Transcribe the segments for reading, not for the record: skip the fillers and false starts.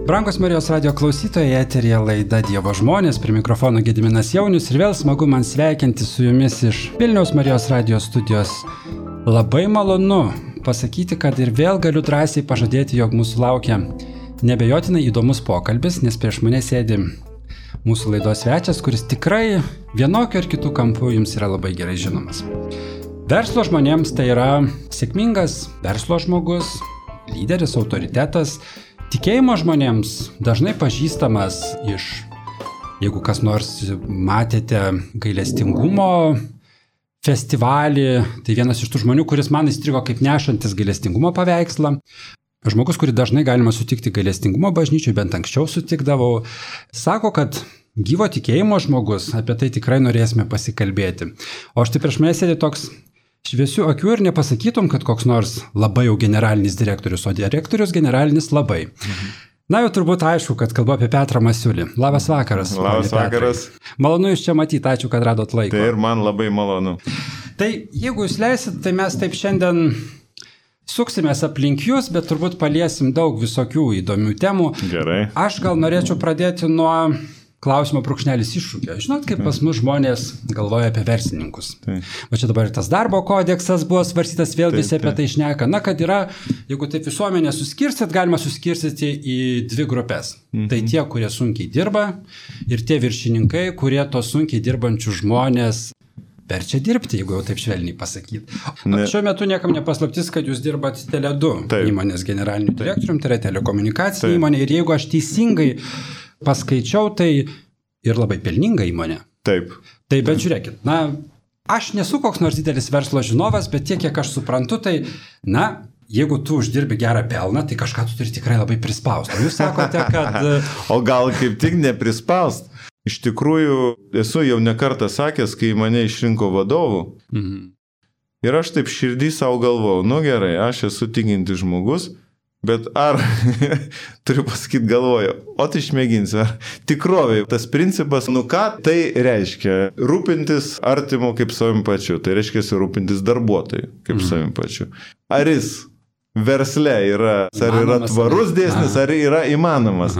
Brangus Marijos radio klausytojai, eteryje laida Dievo žmonės, prie mikrofono Gediminas Jaunius ir vėl smagu man sveikinti su jumis iš Vilniaus Marijos radio studijos. Labai malonu pasakyti, kad ir vėl galiu drąsiai pažadėti, jog mūsų laukia nebejotinai įdomus pokalbis, nes prieš mane sėdi mūsų laidos svečias, kuris tikrai vienokiu ir kitų kampų jums yra labai gerai žinomas. Verslo žmonėms tai yra sėkmingas verslo žmogus, lyderis, autoritetas. Tikėjimo žmonėms dažnai pažįstamas iš, jeigu kas nors matėte gailestingumo festivalį, tai vienas iš tų žmonių, kuris man įstrigo kaip nešantis gailestingumo paveikslą. Žmogus, kurį dažnai galima sutikti gailestingumo bažnyčiui, bent anksčiau sutikdavau, sako, kad gyvo tikėjimo žmogus, apie tai tikrai norėsime pasikalbėti. O štai prieš mane sėdi toks šviesių akių ir nepasakytum, kad koks nors labai jau generalinis direktorius, o direktorius generalinis labai. Na jau turbūt aišku, kad kalbu apie Petrą Masiulį. Labas vakaras. Labas vakaras. Malonu jūs čia matyti, ačiū, kad radot laiko. Tai ir man labai malonu. Tai jeigu jūs leisit, tai mes taip šiandien suksimės aplink jūs, bet turbūt paliesim daug visokių įdomių temų. Gerai. Aš gal norėčiau pradėti nuo klausimo brūkšnelis iššūkio. Žinot, kaip pas mus žmonės galvoja apie verslininkus. O čia dabar tas darbo kodeksas buvo svarstytas, vėl visi apie tai šneka. Na, kad yra, jeigu taip visuomenę suskirstyt, galima suskirstyti į dvi grupės. Tai tie, kurie sunkiai dirba ir tie viršininkai, kurie tos sunkiai dirbančių žmonės verčia dirbti, jeigu jau taip švelniai pasakyti. Šiuo metu niekam nepaslaptis, kad jūs dirbat Tele2 įmonės generaliniu direktoriumi, tai yra telekomunikacijų įmonė. Ir jeigu aš teisingai paskaičiau, tai ir labai pelninga įmonė. Taip. Tai bet žiūrėkit, na, aš nesu koks nors didelis verslo žinovas, bet tiek, kiek aš suprantu, tai, na, jeigu tu uždirbi gerą pelną, tai kažką tu turi tikrai labai prispaust. O jūs sakote, kad O gal kaip tik neprispaust? Iš tikrųjų, esu jau ne kartą sakęs, kai mane išrinko vadovų. Ir aš taip širdį savo galvojau, nu gerai, aš esu tikintis žmogus, bet ar, turiu pasakyti, galvoju, o tai išmėginsiu, ar tikrovai tas principas, nu ką tai reiškia? Rūpintis artimu kaip savim pačiu, tai reiškia rūpintis darbuotojui kaip savim pačiu. Ar jis versle yra, ar yra tvarus dėsnis, ar yra įmanomas?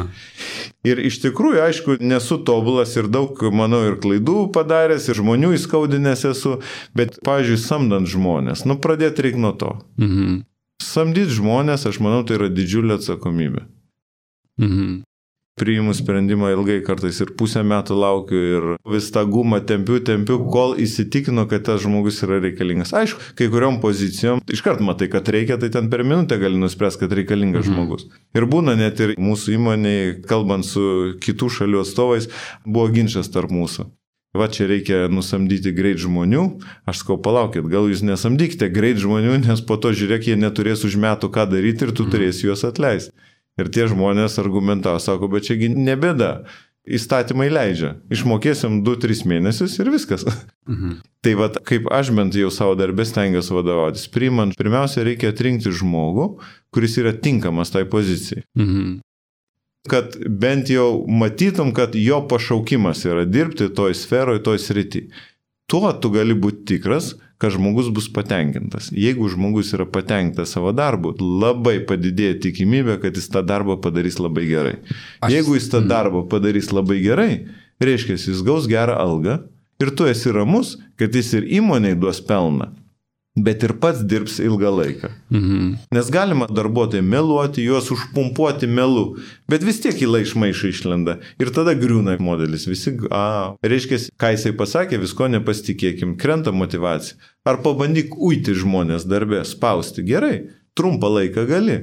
Ir iš tikrųjų, aišku, nesu tobulas ir daug, manau, ir klaidų padaręs, ir žmonių įskaudinęs esu, bet, pavyzdžiui, samdant žmonės, nu pradėti reikia nuo to. Samdyti žmonės, aš manau, tai yra didžiulė atsakomybė. Priimu sprendimą ilgai, kartais ir pusę metų laukiu ir vis tą gumą tempiu, kol įsitikinu, kad tas žmogus yra reikalingas. Aišku, kai kuriom pozicijom, iškart matai, kad reikia, tai ten per minutę gali nuspręsti, kad reikalingas žmogus. Ir būna net ir mūsų įmonėje, kalbant su kitų šalių atstovais, buvo ginčas tarp mūsų. Va, čia reikia nusamdyti greit žmonių, aš sakau, palaukit, gal jūs nesamdykite greit žmonių, nes po to, žiūrėk, jie neturės už metų ką daryti ir tu turėsi juos atleisti. Ir tie žmonės argumentavo, sako, bet čiagi nebėda, įstatymai leidžia, išmokėsim 2-3 mėnesius ir viskas. Tai va, kaip aš bent jau savo darbę stengiuosi vadovautis, priimant, pirmiausia, reikia atrinkti žmogų, kuris yra tinkamas tai pozicijai. Kad bent jau matytum, kad jo pašaukimas yra dirbti toj sferoje, toj srity. Tuo tu gali būti tikras, kad žmogus bus patenkintas. Jeigu žmogus yra patenkintas savo darbu, labai padidėja tikimybė, kad jis tą darbą padarys labai gerai. Jeigu jis tą darbą padarys labai gerai, reiškia, jis gaus gerą algą ir tu esi ramus, kad jis ir įmonei duos pelną, bet ir pats dirbs ilgą laiką. Nes galima darbuotojai meluoti, juos užpumpuoti melu, bet vis tiek įla iš maišo išlenda. Ir tada griūna modelis. Visi, reiškia, ką jisai pasakė, visko nepasitikėkim, krenta motyvacija. Ar pabandyk uiti žmonės darbę, spausti. Gerai, trumpą laiką gali.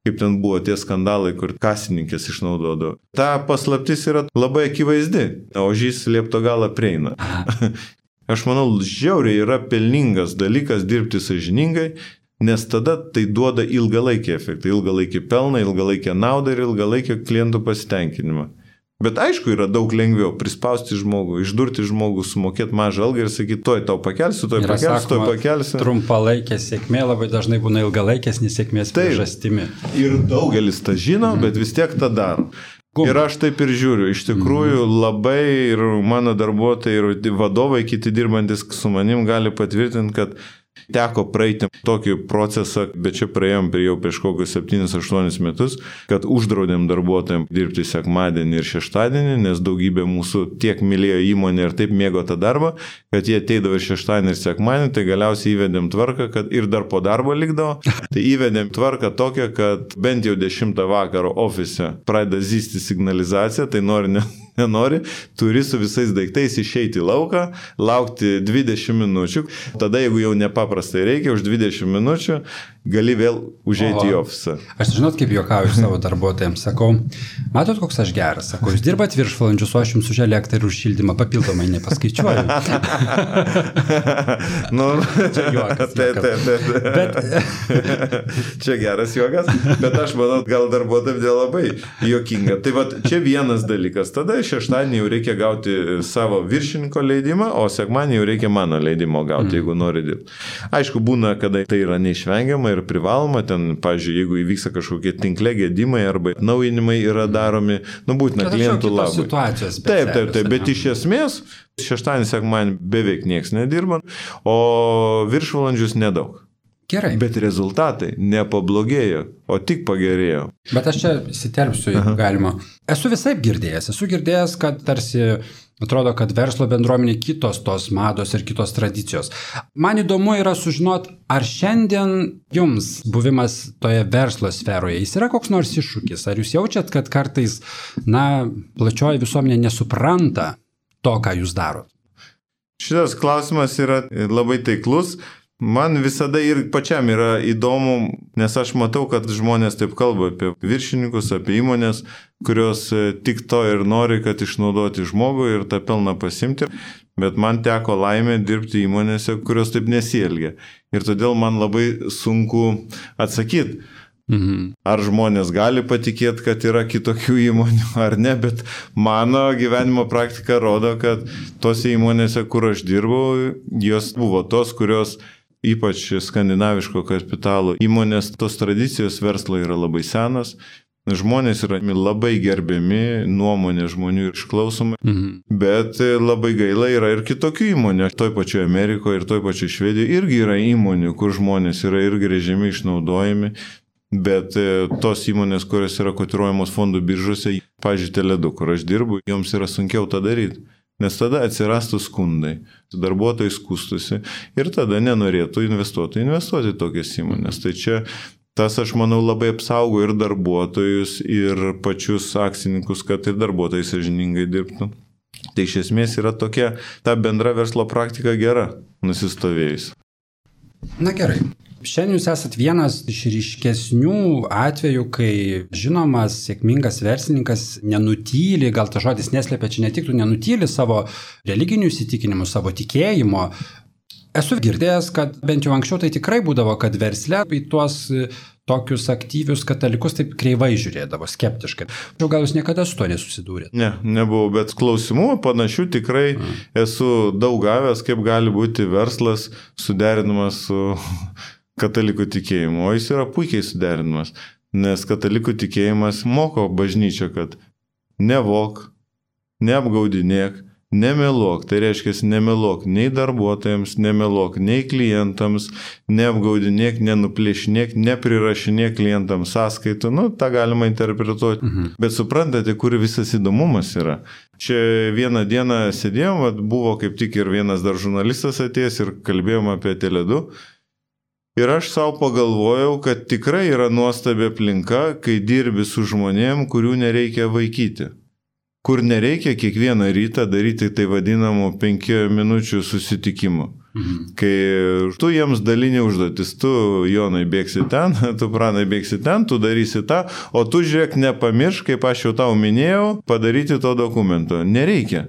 Kaip ten buvo tie skandalai, kur kasininkės išnaudodavo. Ta paslaptis yra labai akivaizdi, o žys liepto galą prieina. Aš manau, žiauriai yra pelningas dalykas dirbti sąžiningai, nes tada tai duoda ilgalaikį efektą, ilgalaikį pelną, ilgalaikę naudą ir ilgalaikį klientų pasitenkinimą. Bet aišku, yra daug lengviau prispausti žmogų, išdurti žmogų, sumokėti mažą algą ir sakyti, toj pakelsiu. Trumpalaikė sėkmė labai dažnai būna ilgalaikės nesėkmės priežastimi. Ir daugelis tą žino, bet vis tiek tą daro. Ir aš taip ir žiūriu, iš tikrųjų labai ir mano darbuotojai, ir vadovai, kiti dirbantis su manim gali patvirtinti, kad Teko praeiti tokį procesą, bet čia praėjom jau prieš kokius 7-8 metus, kad uždraudėm darbuotojams dirbti sekmadienį ir šeštadienį, nes daugybė mūsų tiek mylėjo įmonę ir taip mėgo tą darbą, kad jie ateidavo ir šeštadienį ir sekmadienį, tai galiausiai įvedėm tvarką, kad ir dar po darbo likdavo. Tai įvedėm tvarką tokią, kad bent jau 10 vakaro ofise pradeda zysti signalizacija, tai nenori, turi su visais daiktais išeiti į lauką, laukti 20 minučių. Tada, jeigu jau nepaprastai reikia, už 20 minučių gali vėl užeiti į ofisą. Aš žinot, kaip juokauju savo darbuotojams. Sakau, matot, koks aš geras. Sakau, jūs dirbat viršvalandžius, o aš jums už elektrą ir už šildymą papildomai nepaskaičiuoju. Čia juokas. Bet... Čia geras juokas, bet aš manau, gal darbuotojams nelabai juokinga. Tai va, čia vienas dalykas. Tada šeštadienį jau reikia gauti savo viršininko leidimą, o sekmadienį jau reikia mano leidimo gauti, jeigu nori dirbti. Aišku, būna, kada tai yra neišvengiama ir privaloma, ten, pavyzdžiui, jeigu įvyksta kažkokie tinkle gedimai arba naujinimai yra daromi, būtina klientų labai. Taip, bet iš esmės šeštadienį, sekmadienį beveik nieks nedirba, o viršvalandžius nedaug. Gerai. Bet rezultatai nepablogėjo, o tik pagerėjo. Bet aš čia įsiterpsiu, jeigu galima. Esu visaip girdėjęs, kad tarsi atrodo, kad verslo bendruomenė kitos tos mados ir kitos tradicijos. Man įdomu yra sužinot, ar šiandien jums buvimas toje verslo sferoje, jis yra koks nors iššūkis? Ar jūs jaučiat, kad kartais, plačioji visuomenė nesupranta to, ką jūs darot? Šitas klausimas yra labai taiklus. Man visada ir pačiam yra įdomu, nes aš matau, kad žmonės taip kalba apie viršininkus, apie įmonės, kurios tik to ir nori, kad išnaudoti žmogų ir tą pelną pasimti. Bet man teko laimė dirbti įmonėse, kurios taip nesielgia. Ir todėl man labai sunku atsakyti, ar žmonės gali patikėti, kad yra kitokių įmonių ar ne, bet mano gyvenimo praktika rodo, kad tose įmonėse, kur aš dirbau, jos buvo tos, kurios ypač skandinaviško kapitalo įmonės, tos tradicijos verslo yra labai senas, žmonės yra labai gerbiami, nuomonė žmonių išklausoma, bet labai gaila yra ir kitokių įmonių. Toj pačioje Amerikoje ir toj pačioje Švedijoje irgi yra įmonių, kur žmonės yra ir grėžiami, išnaudojami, bet tos įmonės, kurios yra kotiruojamos fondų biržose, pavyzdžiui, Tele2, kur aš dirbu, joms yra sunkiau tą daryti. Nes tada atsirastų skundai, darbuotojai skūstusi ir tada nenorėtų investuoti į tokias įmonės. Tai čia tas, aš manau, labai apsaugo ir darbuotojus, ir pačius akcininkus, kad ir darbuotojai sąžiningai dirbtų. Tai iš esmės yra tokia, ta bendra verslo praktika gera, nusistovėjusi. Na gerai. Šiandien jūs esat vienas iš ryškesnių atvejų, kai žinomas, sėkmingas verslininkas nenutyli, gal ta žodis neslėpia, čia netiktų, nenutyli savo religinių įsitikinimų, savo tikėjimo. Esu girdėjęs, kad bent jau anksčiau tai tikrai būdavo, kad versle į tuos tokius aktyvius katalikus taip kreivai žiūrėdavo, skeptiškai. Gal jūs niekada su to nesusidūrėte? Ne, nebuvau, bet klausimų panašių tikrai esu daug gavęs, kaip gali būti verslas suderinamas su katalikų tikėjimu, o jis yra puikiai suderinamas, nes katalikų tikėjimas moko bažnyčią, kad nevok, neapgaudinėk, nemeluok, tai reiškia nemeluok nei darbuotojams, nemeluok nei klientams, neapgaudinėk, nenuplėšinėk, neprirašinėk klientams sąskaitų, tą galima interpretuoti, bet suprantate, kur visas įdomumas yra. Čia vieną dieną sėdėjom, buvo kaip tik ir vienas dar žurnalistas atėjęs ir kalbėjom apie Tele2. Ir aš savo pagalvojau, kad tikrai yra nuostabi aplinka, kai dirbi su žmonėm, kurių nereikia vaikyti. Kur nereikia kiekvieną rytą daryti tai vadinamų 5 minučių susitikimų. Kai tu jiems dalini užduotis, tu Jonai bėgsi ten, tu Pranai bėgsi ten, tu darysi tą, o tu žiūrėk nepamiršk, kaip aš jau tau minėjau, padaryti to dokumento. Nereikia.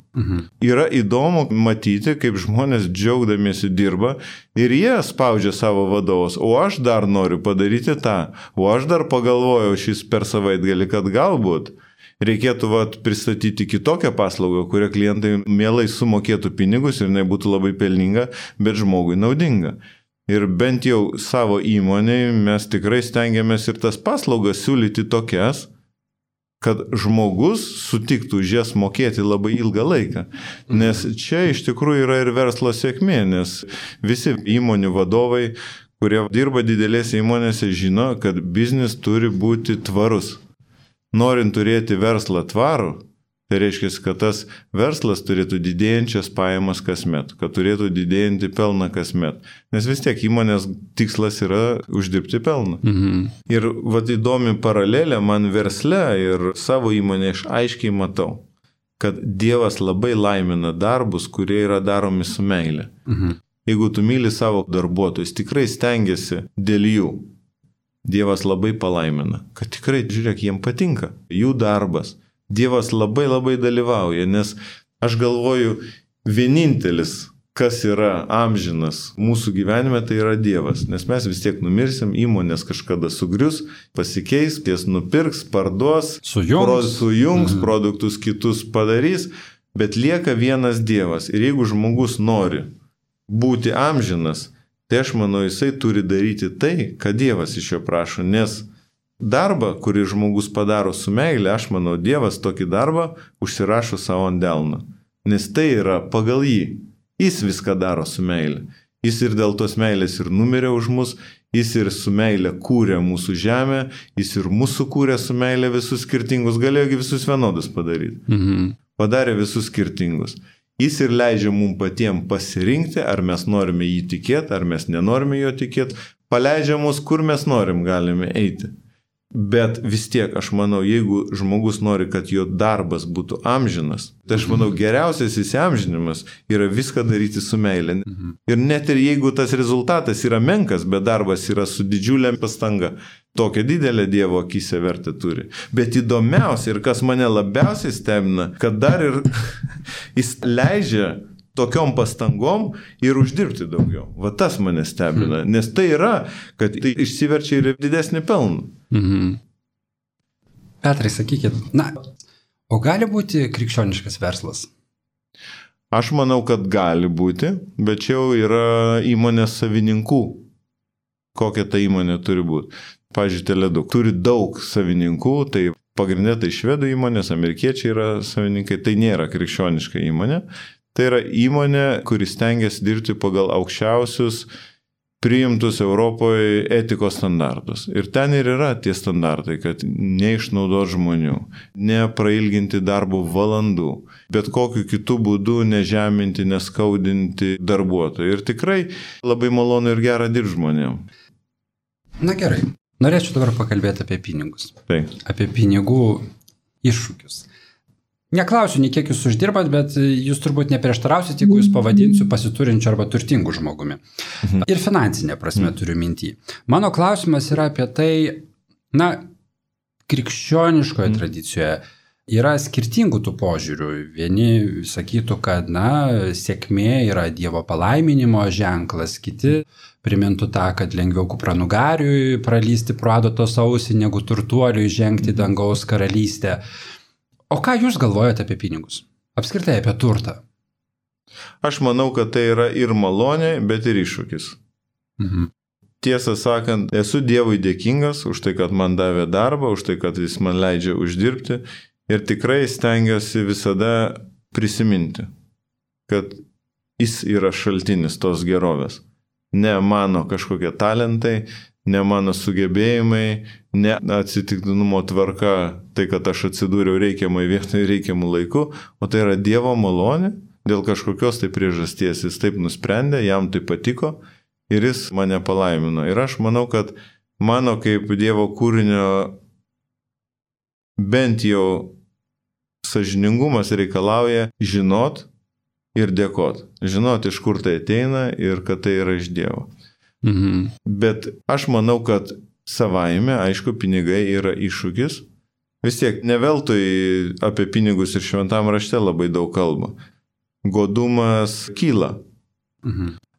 Yra įdomu matyti, kaip žmonės džiaugdamiesi dirba ir jie spaudžia savo vadovus, o aš dar noriu padaryti tą, o aš dar pagalvojau šis per savaitgalį, kad galbūt reikėtų pristatyti kitokią paslaugą, kurią klientai mielai sumokėtų pinigus ir nebūtų labai pelninga, bet žmogui naudinga. Ir bent jau savo įmonėje mes tikrai stengiamės ir tas paslaugas siūlyti tokias, kad žmogus sutiktų už jas mokėti labai ilgą laiką. Nes čia iš tikrųjų yra ir verslo sėkmė, nes visi įmonių vadovai, kurie dirba didelėse įmonėse, žino, kad biznis turi būti tvarus. Norint turėti verslą tvarų, tai reiškia, kad tas verslas turėtų didėjančias pajamas kasmet, kad turėtų didėjantį pelną kasmet. Nes vis tiek įmonės tikslas yra uždirbti pelną. Ir įdomi paralelė man versle ir savo įmonė aš aiškiai matau, kad Dievas labai laimina darbus, kurie yra daromi su meile. Jeigu tu myli savo darbuotojus, tikrai stengiasi dėl jų. Dievas labai palaimina, kad tikrai, žiūrėk, jiem patinka jų darbas. Dievas labai dalyvauja, nes aš galvoju, vienintelis, kas yra amžinas mūsų gyvenime, tai yra Dievas. Nes mes vis tiek numirsim, įmonės kažkada sugrius, pasikeis, ties nupirks, parduos, sujungs produktus kitus padarys, bet lieka vienas Dievas. Ir jeigu žmogus nori būti amžinas, tai aš manau, jisai turi daryti tai, ką Dievas iš jo prašo, nes darbą, kurį žmogus padaro su meile, aš manau, Dievas tokį darbą užsirašo savo ant delno. Nes tai yra pagal jį. Jis viską daro su meile. Jis ir dėl tos meilės ir numirė už mus, jis ir su meile kūrė mūsų žemę, jis ir mūsų kūrė su meile visus skirtingus, galėjo visus vienodus padaryti. Padarė visus skirtingus. Jis ir leidžia mums patiems pasirinkti, ar mes norime jį tikėti, ar mes nenorime jo tikėti. Paleidžia mus, kur mes norim galime eiti. Bet vis tiek, aš manau, jeigu žmogus nori, kad jo darbas būtų amžinas, tai aš manau, geriausias įsiamžinimas yra viską daryti su meile. Ir net ir jeigu tas rezultatas yra menkas, bet darbas yra su didžiulė pastanga, tokia didelė Dievo akyse vertę turi. Bet įdomiausia ir kas mane labiausiai stebina, kad dar ir jis leidžia tokiom pastangom ir uždirbti daugiau. Va tas mane stebina, nes tai yra, kad tai išsiverčia ir didesnį pelną. Petrai, sakykit, o gali būti krikščioniškas verslas? Aš manau, kad gali būti, bet čia jau yra įmonės savininkų. Kokia ta įmonė turi būti? Pavyzdžiui, Tele2 turi daug savininkų, tai pagrindė tai švedų įmonės, amerikiečiai yra savininkai, tai nėra krikščioniška įmonė. Tai yra įmonė, kuris stengiasi dirbti pagal aukščiausius priimtus Europoje etikos standartus. Ir ten ir yra tie standartai, kad neišnaudoti žmonių, neprailginti darbo valandų, bet kokiu kitų būdų nežeminti, neskaudinti darbuotojų. Ir tikrai labai malonu ir gera dirbti žmonėm. Na gerai, norėčiau dabar pakalbėti apie pinigus. Taip. Apie pinigų iššūkius. Neklausiu, nei kiek jūs uždirbat, bet jūs turbūt neprieštarausit, jeigu jūs pavadinsiu pasiturinčiu arba turtingu žmogumi. Ir finansinė prasme turiu mintį. Mano klausimas yra apie tai, krikščioniškoje tradicijoje yra skirtingų tų požiūrių. Vieni sakytų, kad, sėkmė yra Dievo palaiminimo ženklas, kiti primintų tą, kad lengviau kupranugariui pralysti pro adatos ausį, negu turtuoliui žengti dangaus karalystę. O ką jūs galvojate apie pinigus? Apskritai apie turtą? Aš manau, kad tai yra ir malonė, bet ir iššūkis. Tiesą sakant, esu Dievui dėkingas už tai, kad man davė darbą, už tai, kad jis man leidžia uždirbti ir tikrai stengiuosi visada prisiminti, kad jis yra šaltinis tos gerovės. Ne mano kažkokie talentai, ne mano sugebėjimai, ne atsitiktinumo tvarka, tai kad aš atsidūriau reikiamai vietoje reikiamų laiku, o tai yra Dievo malonė, dėl kažkokios tai priežasties jis taip nusprendė, jam tai patiko ir jis mane palaimino. Ir aš manau, kad mano kaip Dievo kūrinio bent jau sąžiningumas reikalauja žinot ir dėkot. Žinot, iš kur tai ateina ir kad tai yra iš Dievo. Bet aš manau, kad savaime, aišku, pinigai yra iššūkis. Vis tiek, ne veltui apie pinigus ir šventam rašte labai daug kalba. Godumas kyla.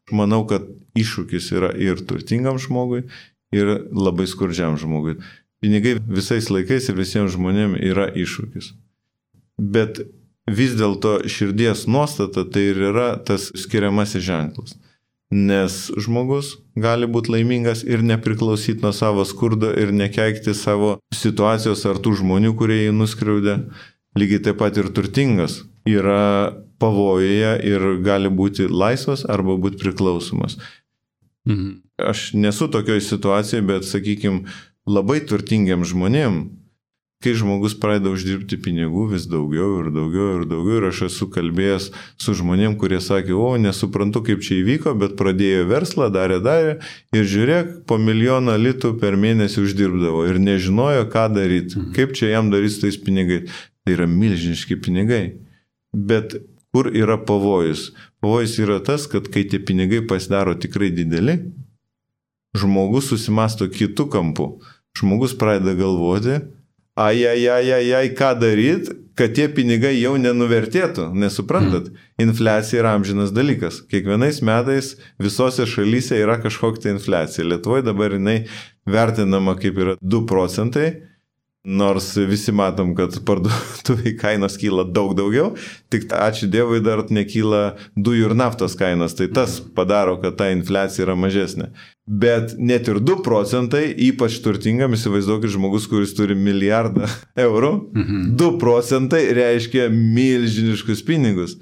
Manau, kad iššūkis yra ir turtingam žmogui, ir labai skurdžiam žmogui. Pinigai visais laikais ir visiems žmonėms yra iššūkis. Bet vis dėlto širdies nuostata tai ir yra tas skiriamasis ženklas. Nes žmogus gali būti laimingas ir nepriklausyti nuo savo skurdo ir nekeikti savo situacijos ar tų žmonių, kurie jį nuskriaudė. Lygiai taip pat ir turtingas yra pavojuje ir gali būti laisvas arba būti priklausomas. Aš nesu tokioj situacijoje, bet, sakykime, labai turtingiam žmonėm, kai žmogus pradeda uždirbti pinigų vis daugiau ir daugiau ir daugiau, ir aš esu kalbėjęs su žmonėm, kurie sakė, nesuprantu, kaip čia įvyko, bet pradėjo verslą, darė ir žiūrėk, po 1 milijoną litų per mėnesį uždirbdavo ir nežinojo, ką daryti, kaip čia jam daryti su tais pinigais. Tai yra milžiniški pinigai. Bet kur yra pavojus? Pavojus yra tas, kad kai tie pinigai pasidaro tikrai dideli, žmogus susimasto kitų kampų. Žmogus pradeda galvoti, ką daryti, kad tie pinigai jau nenuvertėtų. Nesuprantat? Infliacija yra amžinas dalykas. Kiekvienais metais visose šalyse yra kažkokia infliacija. Lietuvoje dabar jinai vertinama kaip yra 2 procentai, nors visi matom, kad parduotuvėje kainos kyla daug daugiau, tik ačiū Dievui dar nekyla dujų ir naftos kainos, tai tas padaro, kad ta infliacija yra mažesnė. Bet net ir 2 procentai, ypač turtingam, įsivaizduokit žmogus, kuris turi 1 milijardą eurų, 2 procentai reiškia milžiniškus pinigus.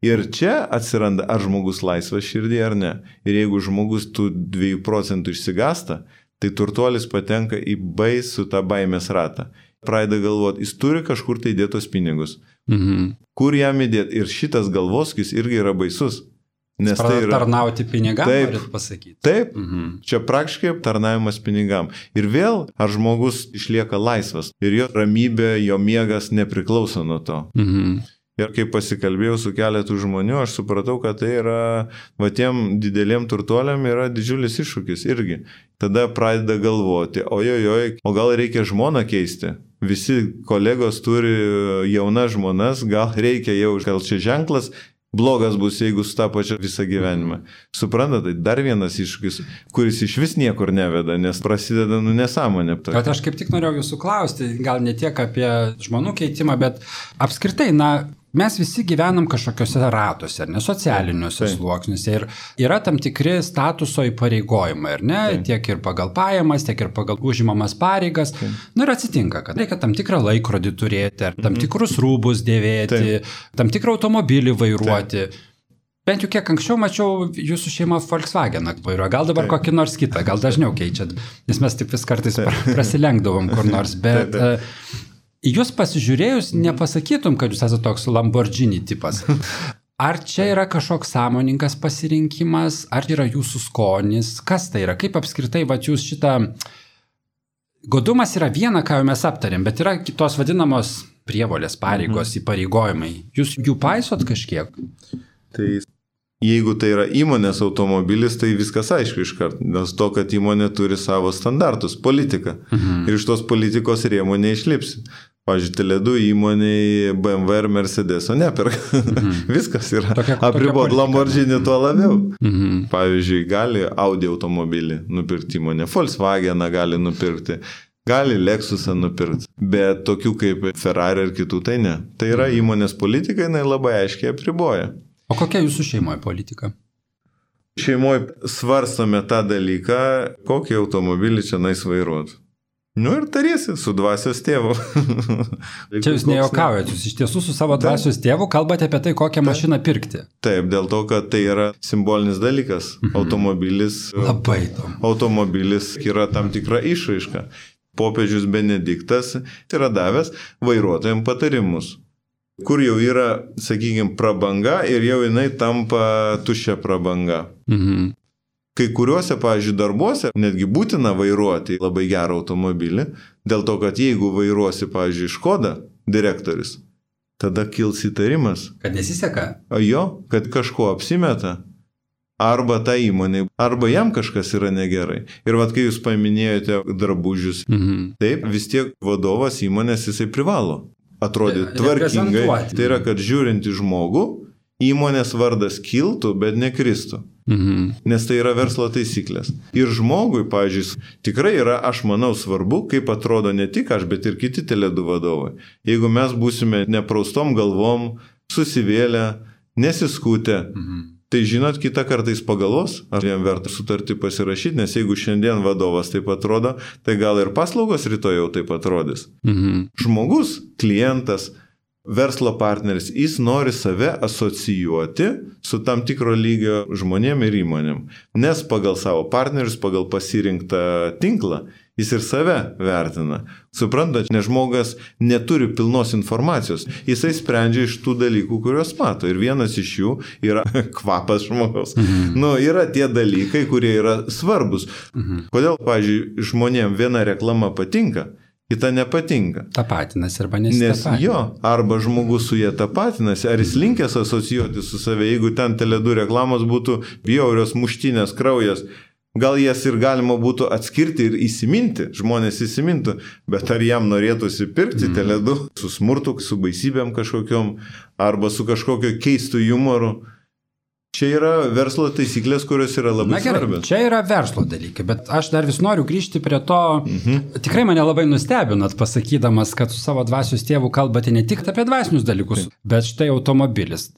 Ir čia atsiranda, ar žmogus laisvas širdį ar ne. Ir jeigu žmogus tų 2 procentų išsigasta, tai turtuolis patenka į baisų tą baimės ratą. Pradeda galvoti, jis turi kažkur tai dėtos pinigus. Kur jam įdėti? Ir šitas galvoskis irgi yra baisus. Nes tai yra tarnauti pinigam, norit pasakyti. Taip, čia praktiškai tarnavimas pinigam. Ir vėl, ar žmogus išlieka laisvas ir jo ramybė, jo miegas nepriklauso nuo to. Ir kai pasikalbėjau su keletu žmonių, aš supratau, kad tai yra, tiem dideliem turtuoliam yra didžiulis iššūkis irgi. Tada pradeda galvoti, o gal reikia žmoną keisti? Visi kolegos turi jaunas žmonas, gal reikia gal čia ženklas, blogas bus, jeigu su tą pačią visą gyvenimą. Suprantate, tai dar vienas iššūkis, kuris iš vis niekur neveda, nes prasideda nesąmonė. Bet aš kaip tik norėjau jūsų klausti, gal ne tiek apie žmonų keitimą, bet apskritai, mes visi gyvenam kažkokiuose ratuose, socialiniuose sluoksniuose ir yra tam tikri statuso įpareigojimai, ar ne? Tiek ir pagal pajamas, tiek ir pagal užimamas pareigas. Ir atsitinka, kad reikia tam tikrą laikrodį turėti, ar tam tikrus rūbus dėvėti, tam tikrą automobilį vairuoti. Bent jau kiek anksčiau mačiau jūsų šeimą Volkswageną vairuoja, gal dabar kokį nors kitą, gal dažniau keičiat, nes mes taip vis kartais prasilenkdavom kur nors, bet jūs pasižiūrėjus nepasakytum, kad jūs esate toks Lamborghini tipas. Ar čia yra kažkoks sąmoningas pasirinkimas, ar yra jūsų skonis, kas tai yra, kaip apskritai jūs šitą... Godumas yra viena, ką jau mes aptarėm, bet yra kitos vadinamos prievolės, pareigos, įpareigojimai. Jūs jų paisot kažkiek? Tai jeigu tai yra įmonės automobilis, tai viskas aišku iškart, nes to, kad įmonė turi savo standartus, politiką. Ir iš tos politikos rėmų neišlipsi. Pavyzdžiui, Tele2 įmoniai BMW ir Mercedeso neperka. Viskas yra apribot, Lamborghini tuo labiau. Pavyzdžiui, gali Audi automobilį nupirkti įmonė, Volkswageną gali nupirkti, gali Lexusą nupirkti, bet tokių kaip Ferrari ir kitų tai ne. Tai yra įmonės politika, jinai labai aiškiai apriboja. O kokia jūsų šeimoje politika? Šeimoje svarstome tą dalyką, kokį automobilį čia nais vairuoti. Ir tariesi su dvasios tėvu. Čia jūs nejuokaujat, jūs iš tiesų su savo dvasios tėvu kalbate apie tai, kokią mašiną pirkti. Taip, dėl to, kad tai yra simbolinis dalykas. Automobilis. Labai įdomu. Automobilis yra tam tikra išraiška. Popiežius Benediktas yra davęs vairuotojams patarimus, kur jau yra, sakykime, prabanga ir jau jinai tampa tuščia prabanga. Kai kuriuose, pavyzdžiui, darbuose netgi būtina vairuoti labai gerą automobilį, dėl to, kad jeigu vairuosi, pavyzdžiui, Škoda direktorius, tada kils įtarimas. Kad nesiseka? Jo, kad kažko apsimeta. Arba ta įmonė, arba jam kažkas yra negerai. Ir kai jūs paminėjote drabužius, taip, vis tiek vadovas įmonės jisai privalo atrodyti tvarkingai. Tai yra, kad žiūrint į žmogų, įmonės vardas kiltų, bet nekristų. Nes tai yra verslo taisyklės. Ir žmogui, pavyzdžiui, tikrai yra, aš manau, svarbu, kaip atrodo ne tik aš, bet ir kiti Tele2 vadovai. Jeigu mes būsime nepraustom galvom, susivėlę, nesiskutę, Tai žinot, kitą kartą jis pagalvos, ar jam verta sutartį pasirašyti, nes jeigu šiandien vadovas taip atrodo, tai gal ir paslaugos rytoj jau taip atrodys. Žmogus, klientas, verslo partneris, jis nori save asocijuoti su tam tikro lygio žmonėm ir įmonėm, nes pagal savo partnerius, pagal pasirinktą tinklą, jis ir save vertina. Suprantat, nes žmogas neturi pilnos informacijos, jisai sprendžia iš tų dalykų, kuriuos mato. Ir vienas iš jų yra kvapas žmogaus. Yra tie dalykai, kurie yra svarbus. Kodėl, pavyzdžiui, žmonėm viena reklama patinka, kita nepatinka. Tapatinasi arba nesitapatina. Nes jo, arba žmogus su jie tapatinasi, ar jis linkęs asocijuoti su save, jeigu ten Tele2 reklamos būtų bjaurios muštinės, kraujas, gal jas ir galima būtų atskirti ir įsiminti, žmonės įsimintų, bet ar jam norėtųsi pirkti Tele2 su smurtu, su baisybėm kažkokiom, arba su kažkokio keistu humoru. Čia yra verslo taisyklės, kurios yra labai svarbios. Čia yra verslo dalykai, bet aš dar vis noriu grįžti prie to, tikrai mane labai nustebinat pasakydamas, kad su savo dvasios tėvu kalbate ne tik apie dvasinius dalykus, bet štai automobilis.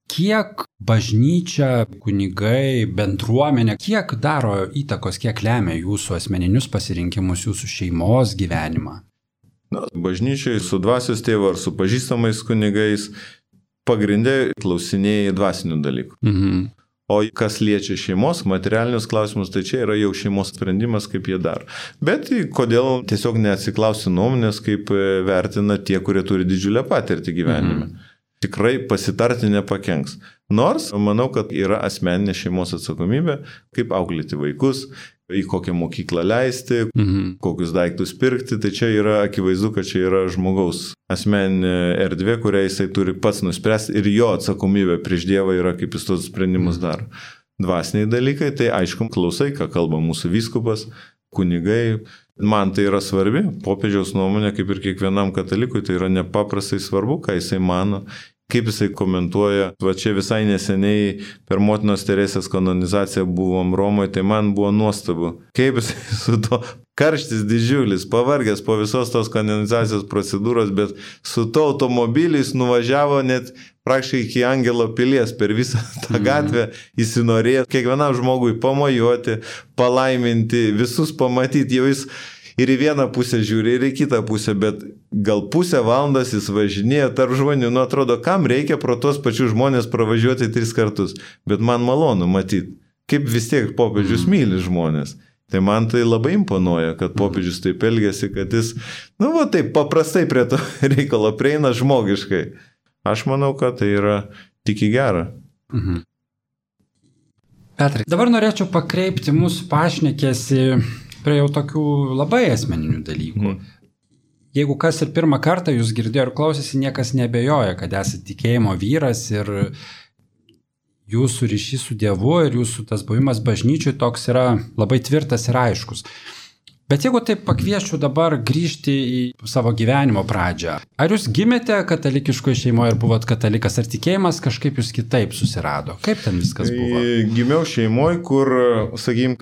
Kiek bažnyčia, kunigai, bendruomenė, kiek daro įtakos, kiek lemia jūsų asmeninius pasirinkimus, jūsų šeimos gyvenimą? Bažnyčiai su dvasios tėvu ar su pažįstamais kunigais pagrindė klausinėjai dvasinių dalykų. O kas liečia šeimos, materialinius klausimus, tai čia yra jau šeimos sprendimas, kaip jie daro. Bet kodėl tiesiog neatsiklausi nuomonės, kaip vertina tie, kurie turi didžiulę patirtį gyvenime. Tikrai pasitarti nepakenks. Nors, manau, kad yra asmeninė šeimos atsakomybė, kaip auklėti vaikus, į kokią mokyklą leisti, kokius daiktus pirkti, tai čia yra akivaizdu, kad čia yra žmogaus asmeninė erdvė, kurią jisai turi pats nuspręsti ir jo atsakomybė prieš Dievą yra, kaip jis tos sprendimus daro. Dvasiniai dalykai, tai aišku, klausai, ką kalba mūsų vyskupas, kunigai. Man tai yra svarbi, popiežiaus nuomonė, kaip ir kiekvienam katalikui, tai yra nepaprastai svarbu, ką jisai mano, kaip jisai komentuoja. Va čia visai neseniai per motinos Teresės kanonizaciją buvom Romoje, tai man buvo nuostabu, kaip jisai su to karštis didžiulis, pavargęs po visos tos kanonizacijos procedūros, bet su to automobiliais nuvažiavo net praktiškai iki Angelo pilies per visą tą gatvę, įsinorėjo kiekvienam žmogui pamojuoti, palaiminti, visus pamatyti, jau jis ir į vieną pusę žiūri, ir į kitą pusę, bet gal pusę valandos jis važinėjo tarp žmonių, atrodo, kam reikia pro tos pačius žmonės pravažiuoti 3 kartus, bet man malonu matyti, kaip vis tiek popiežius myli žmonės. Tai man tai labai imponuoja, kad popiežius taip elgiasi, kad jis, taip paprastai prie to reikalo prieina žmogiškai. Aš manau, kad tai yra tik į gerą. Petrai, dabar norėčiau pakreipti mūsų pašnekėsi prie jau tokių labai asmeninių dalykų. Jeigu kas ir pirmą kartą jūs girdėjo ir klausėsi, niekas nebejoja, kad esate tikėjimo vyras ir jūsų ryšys su Dievu ir jūsų tas buvimas bažnyčiui toks yra labai tvirtas ir aiškus. Bet jeigu taip pakvieščiau dabar grįžti į savo gyvenimo pradžią, ar jūs gimėte katalikiškoje šeimoje ir buvot katalikas, ar tikėjimas kažkaip jūs kitaip susirado? Kaip ten viskas buvo? Gimiau šeimoje, kur,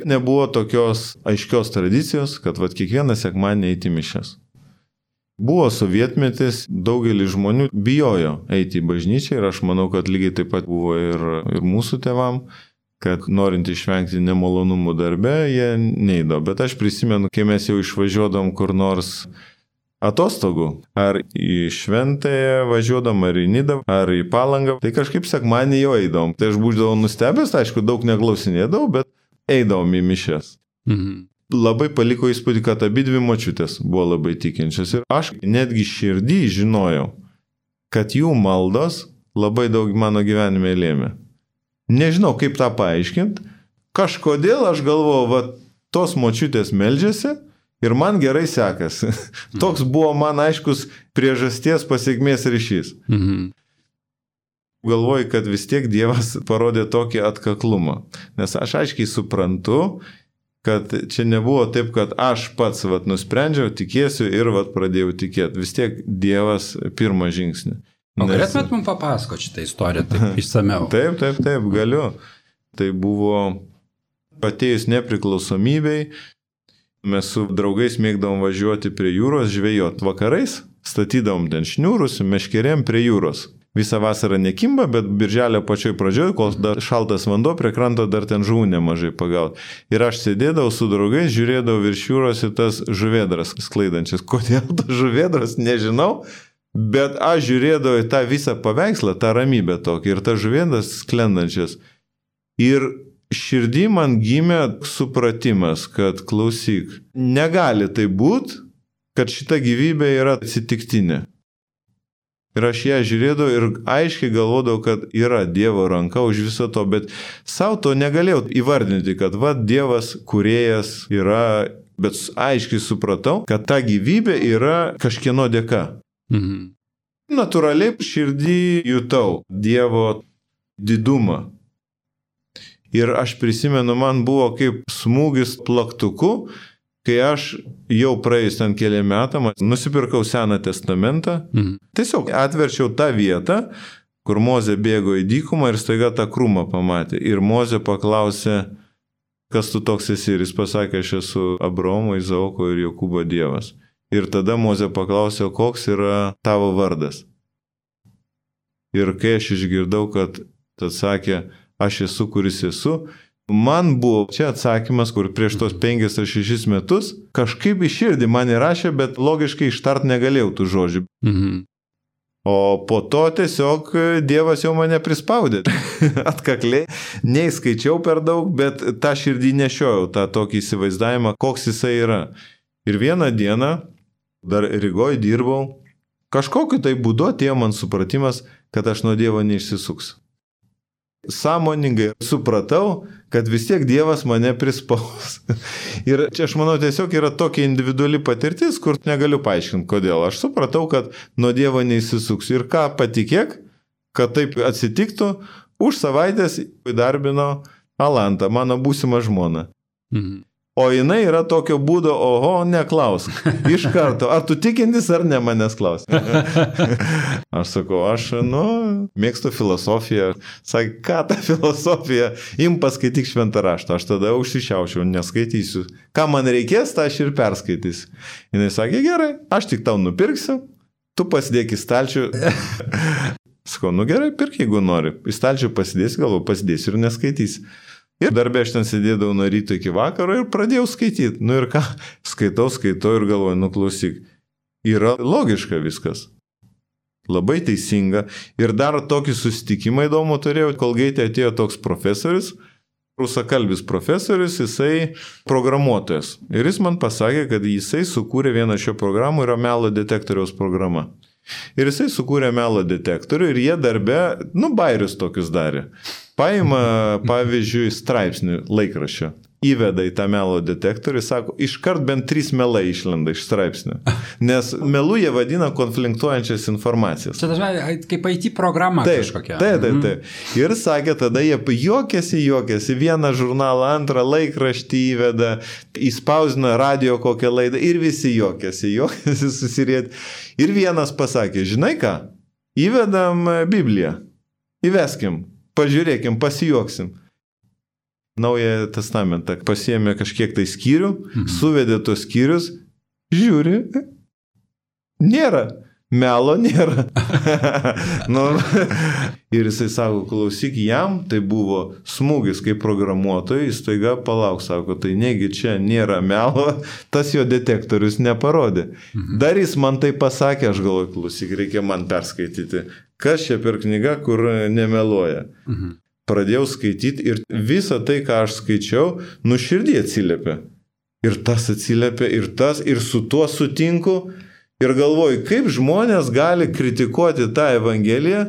nebuvo tokios aiškios tradicijos, kad kiekvieną sekmadienį eiti mišias. Buvo sovietmetis, daugelis žmonių bijojo eiti į bažnyčią ir aš manau, kad lygiai taip pat buvo ir mūsų tėvam, kad norint išvengti nemalonumų darbe, jie neįdo. Bet aš prisimenu, kai mes jau išvažiuodom kur nors atostogų, ar į Šventąją važiuodom, ar į Nidą, ar į Palangą, tai kažkaip sekmadienį jau eidom. Tai aš būdavau nustebęs, aišku, daug neklausinėdavau, bet eidavom į mišias. Labai paliko įspūdį, kad abidvi močiutės buvo labai tikinčios ir aš netgi širdį žinojau, kad jų maldos labai daug mano gyvenime lėmė. Nežinau, kaip tą paaiškinti. Kažkodėl aš galvoju, tos močiutės meldžiasi ir man gerai sekasi. Toks buvo man aiškus priežasties pasekmės ryšys. Galvoju, kad vis tiek Dievas parodė tokį atkaklumą. Nes aš aiškiai suprantu, kad čia nebuvo taip, kad aš pats nusprendžiau, tikėsiu ir pradėjau tikėti. Vis tiek Dievas pirmą žingsnį. O galėtumėt mums papasakoti šitą istoriją taip išsameu? Taip, galiu. Tai buvo atėjus nepriklausomybei, mes su draugais mėgdavom važiuoti prie jūros, žvejot vakarais, statydavom ten šniūrus, meškerėm prie jūros. visą vasarą nekimba, bet birželio pačioj pradžioj, kol dar šaltas vanduo, prie kranto dar ten žuvų nemažai pagauti. Ir aš sėdėdavau su draugais, žiūrėdavau virš jūros į tas žuvėdras sklaidančias. Kodėl tas žuvėdras, nežinau, bet aš žiūrėdavau į tą visą paveikslą, tą ramybę tokį ir tas žuvėdras sklendančias. Ir širdį man gimė supratimas, kad klausyk, negali tai būti, kad šita gyvybė yra atsitiktinė. Ir aš ją žiūrėdavau ir aiškiai galvodavau, kad yra Dievo ranka už viso to, bet savo to negalėjau įvardinti, kad va, Dievas kūrėjas yra, bet aiškiai supratau, kad ta gyvybė yra kažkieno dėka. Natūraliai širdį jutau Dievo didumą. Ir aš prisimenu, man buvo kaip smūgis plaktuku, kai aš jau praėjus ten keliam metam, nusipirkau Seną testamentą, tiesiog atverčiau tą vietą, kur Mozė bėgo į dykumą ir staiga tą krūmą pamatė. Ir Mozė paklausė, kas tu toks esi, ir jis pasakė, aš esu Abraomo, Izaoko ir Jokūbo Dievas. Ir tada Mozė paklausė, koks yra tavo vardas. Ir kai aš išgirdau, kad atsakė, aš esu, kuris esu, man buvo čia atsakymas, kur prieš tos 5 ar 6 metus kažkaip į širdį man įrašė, bet logiškai ištart negalėjau tų žodžių. O po to tiesiog Dievas jau mane prispaudė. Atkakliai, neįskaičiau per daug, bet tą širdį nešiojau, tą tokį įsivaizdavimą, koks jisai yra. Ir vieną dieną, dar Rygoje dirbau, kažkokiu tai būdu atėjo man supratimas, kad aš nuo Dievo neišsisuksiu. Sąmoningai supratau, kad vis tiek Dievas mane prispaus. Ir čia aš manau tiesiog yra tokia individuali patirtis, kur negaliu paaiškinti, kodėl. Aš supratau, kad nuo Dievo neįsisuksiu. Ir ką patikėk, kad taip atsitiktų, už savaitės įdarbino Alantą, mano būsimą žmoną. O jinai yra tokio būdo, oho, neklausk. Iš karto, ar tu tikintis, ar ne manęs klausk. Aš sakau, mėgstu filosofiją. Sakai, ką ta filosofija? Im paskaityk šventą raštą. Aš tada užsišiaušiau, neskaitysiu. Ką man reikės, tą aš ir perskaitysiu. Jinai sakė, gerai, aš tik tau nupirksiu, tu pasidėk į stalčių. Sakau, gerai, pirk, jeigu nori. Į stalčių pasidėsi, galvoju, pasidėsi ir neskaitysi. Ir darbė aš ten sėdėdavau nuo ryto iki vakaro ir pradėjau skaityti. Ir ką? Skaitau ir galvoju, klausyk. Yra logiška viskas. Labai teisinga. Ir dar tokį susitikimą įdomų turėjau, kol Gaitė atėjo toks profesorius, rusakalbis profesorius, jisai programuotojas. Ir jis man pasakė, kad jisai sukūrė vieną šio programų, yra melo detektoriaus programa. Ir jisai sukūrė melo detektorių ir jie darbe, bairius tokius darė. Paima, pavyzdžiui, straipsnį laikraščio, įveda į tą melo detektorių ir sako, iškart bent 3 melai išlenda iš straipsnio. Nes melų jie vadina konfliktuojančias informacijas. Čia dažnai kaip IT programa kažkokia. Taip. Ir sakė, tada jie juokėsi, vieną žurnalą, antrą laikraštį įveda, įspausdina radio kokią laidą ir visi juokėsi susirieti. Ir vienas pasakė, žinai ką, įvedam Bibliją, įveskim. Pažiūrėkim, pasijuoksim. Naują testamentą pasiėmė kažkiek tai skyrių, suvedė tos skyrius, žiūri, nėra, melo nėra. Ir jisai sako, klausyk, jam tai buvo smūgis kaip programuotojai, jis taiga palauk, sako, tai negi čia nėra melo, tas jo detektorius neparodė. Dar jis man tai pasakė, aš galvoju, klausyk, reikia man perskaityti. Kas čia per knyga, kur nemeluoja. Pradėjau skaityti ir visą tai, ką aš skaičiau, širdį atsiliepė. Ir tas atsiliepė, ir tas, ir su tuo sutinku. Ir galvoju, kaip žmonės gali kritikuoti tą Evangeliją,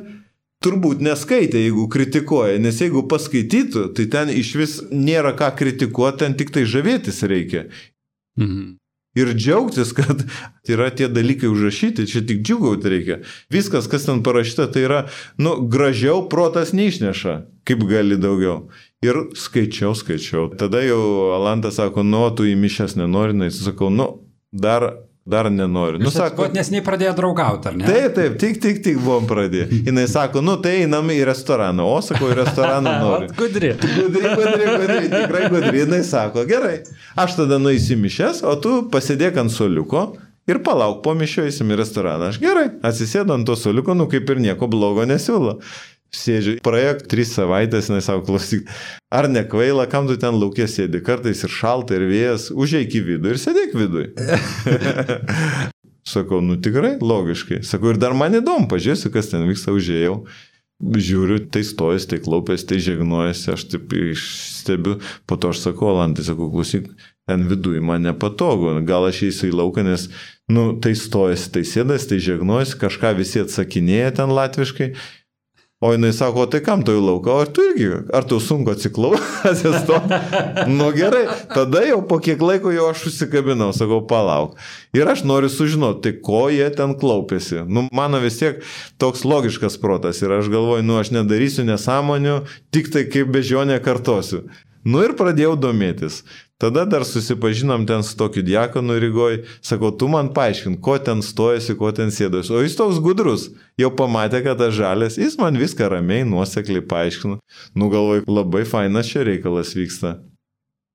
turbūt neskaitė, jeigu kritikuoja, nes jeigu paskaitytų, tai ten iš vis nėra ką kritikuoti, ten tik tai žavėtis reikia. Ir džiaugtis, kad yra tie dalykai užrašyti, čia tik džiugauti reikia. Viskas, kas ten parašyta, tai yra, gražiau protas neišneša, kaip gali daugiau. Ir skaičiau. Tada jau Alantas sako, tu į mišias nenori, sakau, dar nenoriu. Sako, nes nei pradėjo draugauti, ar ne? Taip, tik buvom pradėję. Jis sako, tai einam į restoraną. O, sakau, į restoraną noriu. Gudri, tikrai gudri. Jis sako, gerai, aš tada nueisiu mišias, o tu pasėdėk ant suoliuko ir palauk, po mišio eisim į restoraną. Aš gerai, atsisėdu ant to suoliuko, kaip ir nieko blogo nesiūlo. Sėdžiu, praėjo 3 savaitės, jinai savo klausyk, ar nekvaila, kam tu ten laukė sėdi, kartais ir šalta, ir vėjas, užeik į vidų ir sėdėk vidui. Sakau, tikrai, logiškai. Sakau, ir dar man įdomu, pažiūrėsiu, kas ten vyksta, užėjau. Žiūriu, tai stojas, tai klaupės, tai žegnojasi, aš taip stebiu, po to aš sakau, Alantai, sakau, klausyk, ten viduje man nepatogu, gal aš eisiu į lauką, nes, tai stojas, tai sėdas, tai žegnojasi, kažką visi atsakinėja ten latviškai. O jinai sako, tai kam tu į lauką? O ar tu sunku atsiklausęs to? Gerai, tada jau po kiek laiko jau aš užsikabinau, sakau, palauk. Ir aš noriu sužinoti, tai ko jie ten klaupėsi. Mano vis tiek toks logiškas protas ir aš galvoju, aš nedarysiu nesąmonių, tik tai kaip bežionė kartosiu. Ir pradėjau domėtis. Tada dar susipažinom ten su tokiu diakonu Rygoj. Sakau, tu man paaiškink, ko ten stojasi, ko ten sėdosi. O jis toks gudrus. Jau pamatė, kad aš žalės. Jis man viską ramiai, nuosekliai paaiškino. Galvoju, labai fainas čia reikalas vyksta.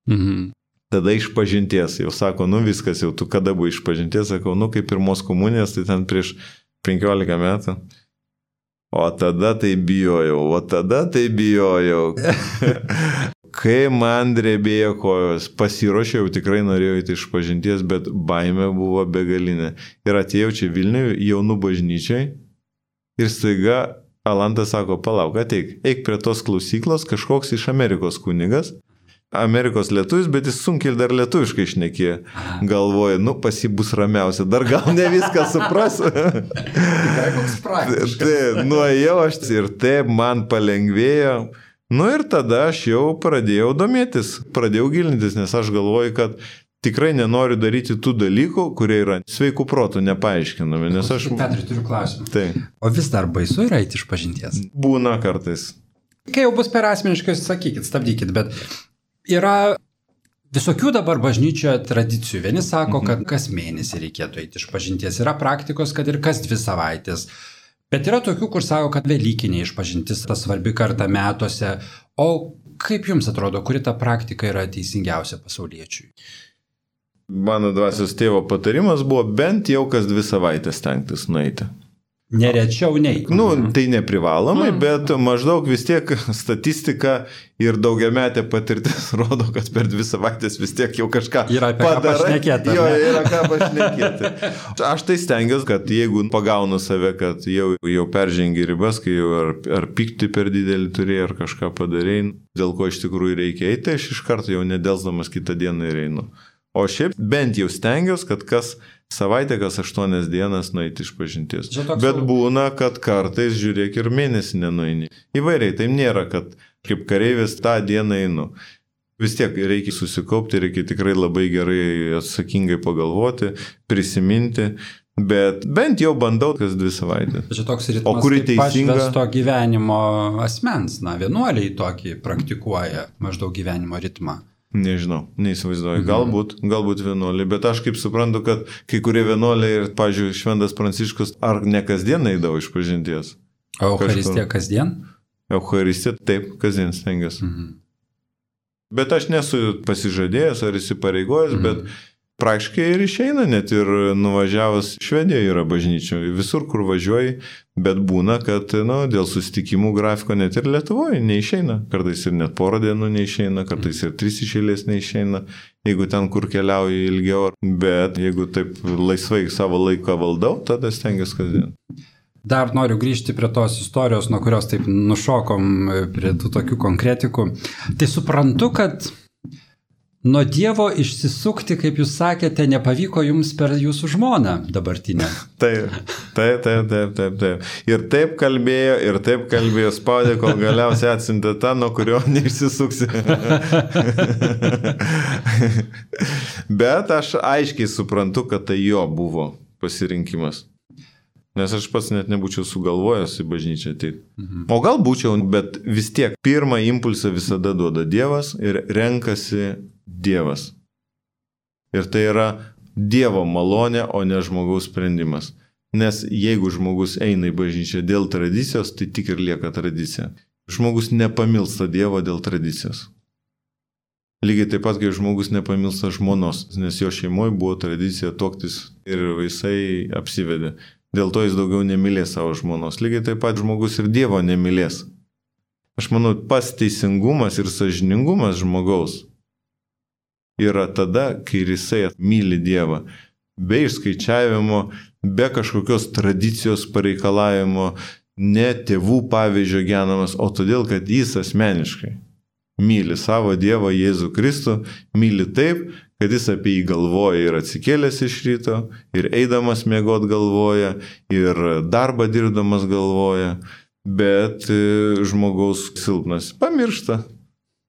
Mhm. Tada išpažinties. Jau sako, viskas, jau tu kada buvai išpažinties. Sakau, kaip pirmos komunijos, tai ten prieš 15 metų. O tada tai bijojau. Kai man drebėjo kojos, pasiruošiau, tikrai norėjau įti išpažinties, bet baimė buvo begalinė. Ir atėjau čia Vilniuje, jaunų bažnyčiai, ir staiga Alantas sako, palauk, eik prie tos klausyklos, kažkoks iš Amerikos kunigas, Amerikos lietuvis, bet jis sunkiai dar lietuviškai šnekėjo. Galvoju, pas jį bus ramiausia, dar gal ne viską suprasiu. Tikrai koks praktiškas. Nuėjau aš ir taip man palengvėjo. Ir tada aš jau pradėjau domėtis, pradėjau gilintis, nes aš galvoju, kad tikrai nenoriu daryti tų dalykų, kurie yra sveikų protų nepaaiškinami. Nes aš... Petrai, turiu klausimą. Tai. O vis dar baisu yra eiti išpažinties? Būna kartais. Kai jau bus per asmeniškai, sakykit, stabdykit, bet yra visokių dabar bažnyčioje tradicijų. Vieni sako, kad kas mėnesį reikėtų eiti išpažinties. Yra praktikos, kad ir kas 2 savaitės. Bet yra tokių, kur sako, kad velykinė išpažintis ta svarbi kartą metuose. O kaip jums atrodo, kuri ta praktika yra teisingiausia pasauliečiui? Mano dvasios tėvo patarimas buvo bent jau kas 2 savaitės stengtis nueiti. Nerečiau nei. Tai neprivalomai, bet maždaug vis tiek statistika ir daugiametė patirtis rodo, kad per 2 savaitės vis tiek jau kažką yra apie ką pašnekėti. Yra ką pašnekėti. Aš tai stengiuosi, kad jeigu pagaunu save, kad jau peržengi ribas, kai jau ar pykti per didelį turėjai, ar kažką padarėjai, dėl ko iš tikrųjų reikia eiti, aš iš karto jau nedelsdamas kitą dieną ir einu. O šiaip bent jau stengiuosi, kad kas savaitę, kas 8 dienas nueiti išpažinties. Bet būna, kad kartais, žiūrėk, ir mėnesį nenueini. Įvairiai, tai nėra, kad kaip kareivis tą dieną einu. Vis tiek reikia susikaupti, reikia tikrai labai gerai atsakingai pagalvoti, prisiminti, bet bent jau bandau kas 2 savaitės. Čia toks ritmas, kaip pašvesto gyvenimo asmens, vienuoliai tokį praktikuoja maždaug gyvenimo ritmą. Nežinau, neįsivaizduoju. Galbūt vienuoliai, bet aš kaip suprantu, kad kai kurie vienuoliai ir, pavyzdžiui, Šventas Pranciškus, ar ne kasdien eidavo išpažinties? O Eucharistija kasdien? Eucharistija, taip, kasdien stengiuosi. Bet aš nesu pasižadėjęs ar įsipareigojęs, bet praktiškai ir išeina, net ir nuvažiavus Švedijoje yra bažnyčių, visur, kur važiuoji, bet būna, kad dėl susitikimų grafiko net ir Lietuvoje neišeina. Kartais ir net 4 dienų neišeina, kartais ir 3 iš eilės neišeina, jeigu ten, kur keliauji ilgiau. Bet jeigu taip laisvai savo laiką valdau, tada stengiuosi kasdien. Dar noriu grįžti prie tos istorijos, nuo kurios taip nušokom prie tų tokių konkretikų. Tai suprantu, kad nuo Dievo išsisukti, kaip jūs sakėte, nepavyko jums per jūsų žmoną dabartinę. Taip. Ir taip kalbėjo, spaudė, kol galiausiai atsiuntė tą, nuo kurio neišsisuksi. Bet aš aiškiai suprantu, kad tai jo buvo pasirinkimas. Nes aš pats net nebūčiau sugalvojęs į bažnyčią ateiti. O gal būčiau, bet vis tiek pirmą impulsą visada duoda Dievas ir renkasi Dievas. Ir tai yra Dievo malonė, o ne žmogaus sprendimas. Nes jeigu žmogus eina į bažnyčią dėl tradicijos, tai tik ir lieka tradicija. Žmogus nepamilsta Dievo dėl tradicijos. Lygiai taip pat, kai žmogus nepamilsta žmonos, nes jo šeimoje buvo tradicija tuoktis ir jisai apsivedė. Dėl to jis daugiau nemylės savo žmonos. Lygiai taip pat žmogus ir Dievo nemylės. Aš manau, pats teisingumas ir sąžiningumas žmogaus yra tada, kai jisai myli Dievą. Be išskaičiavimo, be kažkokios tradicijos pareikalavimo, ne tėvų pavyzdžio genamas, o todėl, kad jis asmeniškai myli savo Dievą Jėzų Kristų, myli taip, kad jis apie jį galvoja ir atsikėlęs iš ryto, ir eidamas miegot galvoja, ir darbą dirbdamas galvoja, bet žmogaus silpnas pamiršta.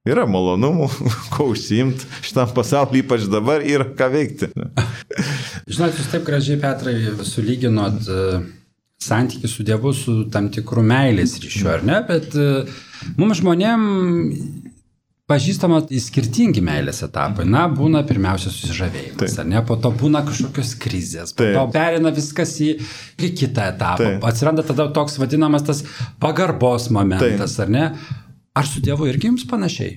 Yra malonumų, ko užsiimti šitam pasaulyje, ypač dabar yra ką veikti. Žinot, jūs taip gražiai, Petrai, sulyginot santykį su Dievu su tam tikru meilės ryšiu, ar ne? Bet mums žmonėm pažįstama skirtingi meilės etapai. Na, būna pirmiausia susižavėjimas, ar ne? Po to būna kažkokios krizės, po to perina viskas į kitą etapą. Atsiranda tada toks vadinamas tas pagarbos momentas, ar ne? Ar su Dievu irgi jums panašiai?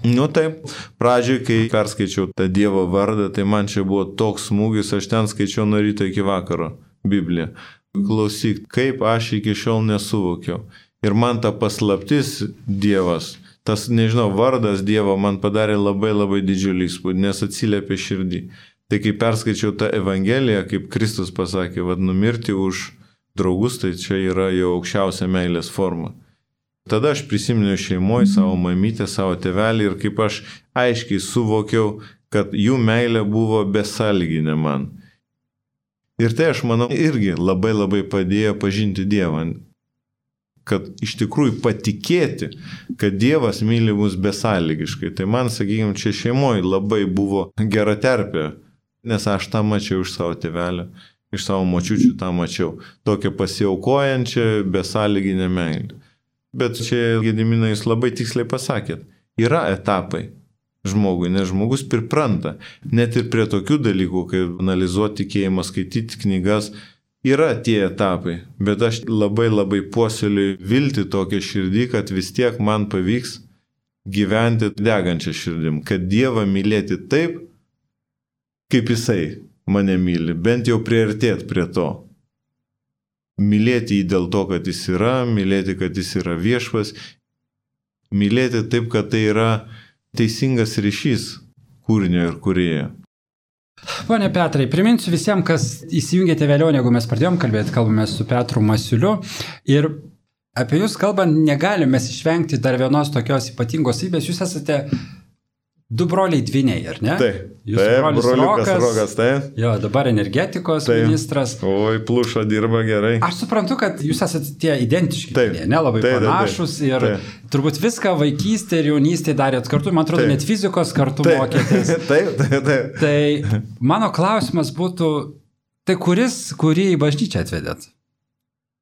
Nu taip, pradžioj, kai perskaičiau tą Dievo vardą, tai man čia buvo toks smūgis, aš ten skaičiau nuo ryto iki vakaro Bibliją. Klausyk, kaip aš iki šiol nesuvokiau. Ir man ta paslaptis Dievas, tas, nežinau, vardas Dievo man padarė labai labai didžiulį įspūdį, nes atsiliepė širdį. Tai kai perskaičiau tą Evangeliją, kaip Kristus pasakė, vad numirti už draugus, tai čia yra jo aukščiausia meilės forma. Tada aš prisiminiau šeimoje savo mamytę, savo tėvelį ir kaip aš aiškiai suvokiau, kad jų meilė buvo besąlyginė man. Ir tai, aš manau, irgi labai labai padėjo pažinti Dievą. Kad iš tikrųjų patikėti, kad Dievas myli mus besąlygiškai. Tai man, sakykime, čia šeimoje labai buvo gera terpė, nes aš tą mačiau iš savo tėvelio, iš savo močiučių tą mačiau. Tokią pasiaukojančią besąlyginę meilę. Bet čia, Gediminai, jūs labai tiksliai pasakėt, yra etapai žmogui, nes žmogus pripranta. Net ir prie tokių dalykų, kaip analizuoti tikėjimą, skaityti knygas, yra tie etapai. Bet aš labai labai puoselėju viltį tokią širdį, kad vis tiek man pavyks gyventi degančią širdim. Kad Dievą mylėti taip, kaip Jisai mane myli, bent jau priartėti prie to. Mylėti jį dėl to, kad jis yra, mylėti, kad jis yra viešpas, mylėti taip, kad tai yra teisingas ryšys kūrinio ir kūrėjo. Pone Petrai, priminsiu visiems, kas įsijungėte vėliau, negu mes pradėjom kalbėti, kalbame su Petru Masiuliu ir apie jūs kalbant negalime išvengti dar vienos tokios ypatingos savybės. Jūs esate du broliai dvyniai, ar ne? Taip, broliukas Rokas, taip. Jo, dabar energetikos ministras. Oi, Pluša dirba gerai. Aš suprantu, kad jūs esate tie identiški, ne, labai panašus ir turbūt viską vaikystė ir jaunystė darėt kartu, man atrodo, net fizikos kartu mokėtės. Taip. Tai mano klausimas būtų, tai kurį į bažnyčią atvedėt?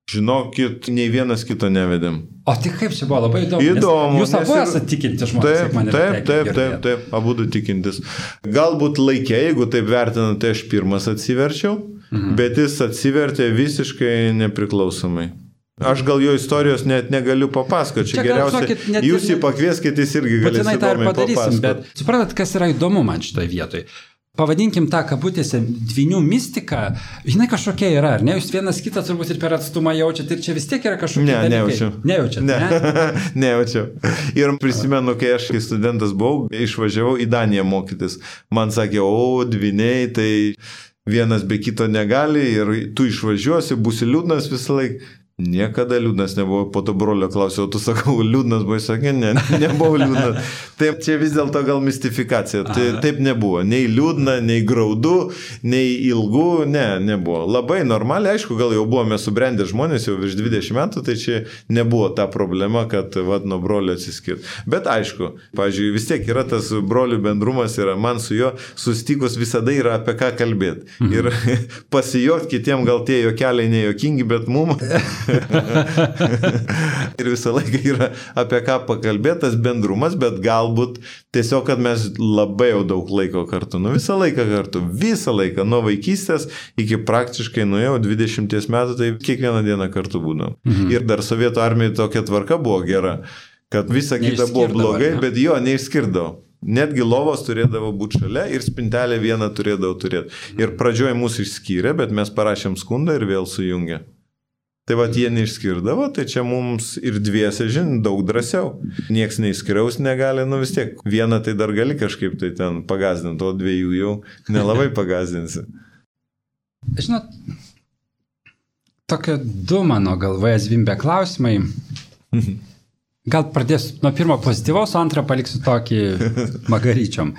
Žinokit, nei vienas kito nevedėm. O tik kaip čia buvo, labai įdomu. Jūs abu esate tikinti žmonės. Taip, abudu tikintis. Galbūt laikė, jeigu taip vertinant, tai aš pirmas atsiverčiau, bet jis atsivertė visiškai nepriklausomai. Aš gal jo istorijos net negaliu papasakoti. Čia geriausia, jūs jį pakvieskit, jis irgi galės įdomiai papasakoti. Bet suprantat, kas yra įdomu man šitoje vietoje? Pavadinkim tą kabutėse dvynių mistiką, jinai kažkokia yra, ar ne? Jūs vienas kitą turbūt ir per atstumą jaučiat, ir čia vis tiek yra kažkokie dalykai. Nejaučiat, ne? Nejaučiau. Ir prisimenu, kai aš kai studentas buvau, išvažiavau į Daniją mokytis. Man sakė, dvyniai, tai vienas be kito negali ir tu išvažiuosi, būsi liūdnas visą laiką. Niekada liūdnas nebuvo, po to brolio klausiau, tu sakau, liūdnas buvai, sakė, nebuvau liūdnas. Taip, čia vis dėlto gal mistifikacija, taip nebuvo, nei liūdna, nei graudu, nei ilgų, nebuvo. Labai normaliai, aišku, gal jau buvome subrendę žmonės, jau virš 20 metų, tai čia nebuvo ta problema, kad nuo brolio atsiskirti. Bet aišku, pavyzdžiui, vis tiek yra tas brolių bendrumas, yra, man su juo susitikus visada yra apie ką kalbėti. Ir pasijuokti kitiem gal tie juokeliai nejuokingi, bet mum... Ir visą laiką yra apie ką pakalbėtas bendrumas, bet galbūt tiesiog, kad mes labai jau daug laiko kartu, visą laiką, nuo vaikystės iki praktiškai nuėjau 20 metų, tai kiekvieną dieną kartu būdom. Ir dar Sovietų armijai tokia tvarka buvo gera, kad visa kita buvo blogai, bet jo neišskirdavo. Netgi lovos turėdavo būti šalia ir spintelę vieną turėdavo turėti. Ir pradžioje mūsų išskyrė, bet mes parašėm skundą ir vėl sujungė. Tai vat jie neišskirdavo, tai čia mums ir dviese, daug drąsiau. Nieks neišskiriaus negali, vis tiek. Vieną tai dar gali kažkaip tai ten pagazdinti, o dviejų jau nelabai pagazdinsi. Žinot, tokie du mano galvoje zvimbė klausimai. Gal pradėsiu nuo pirmo pozityvaus, o antrą paliksiu tokį magaryčiom.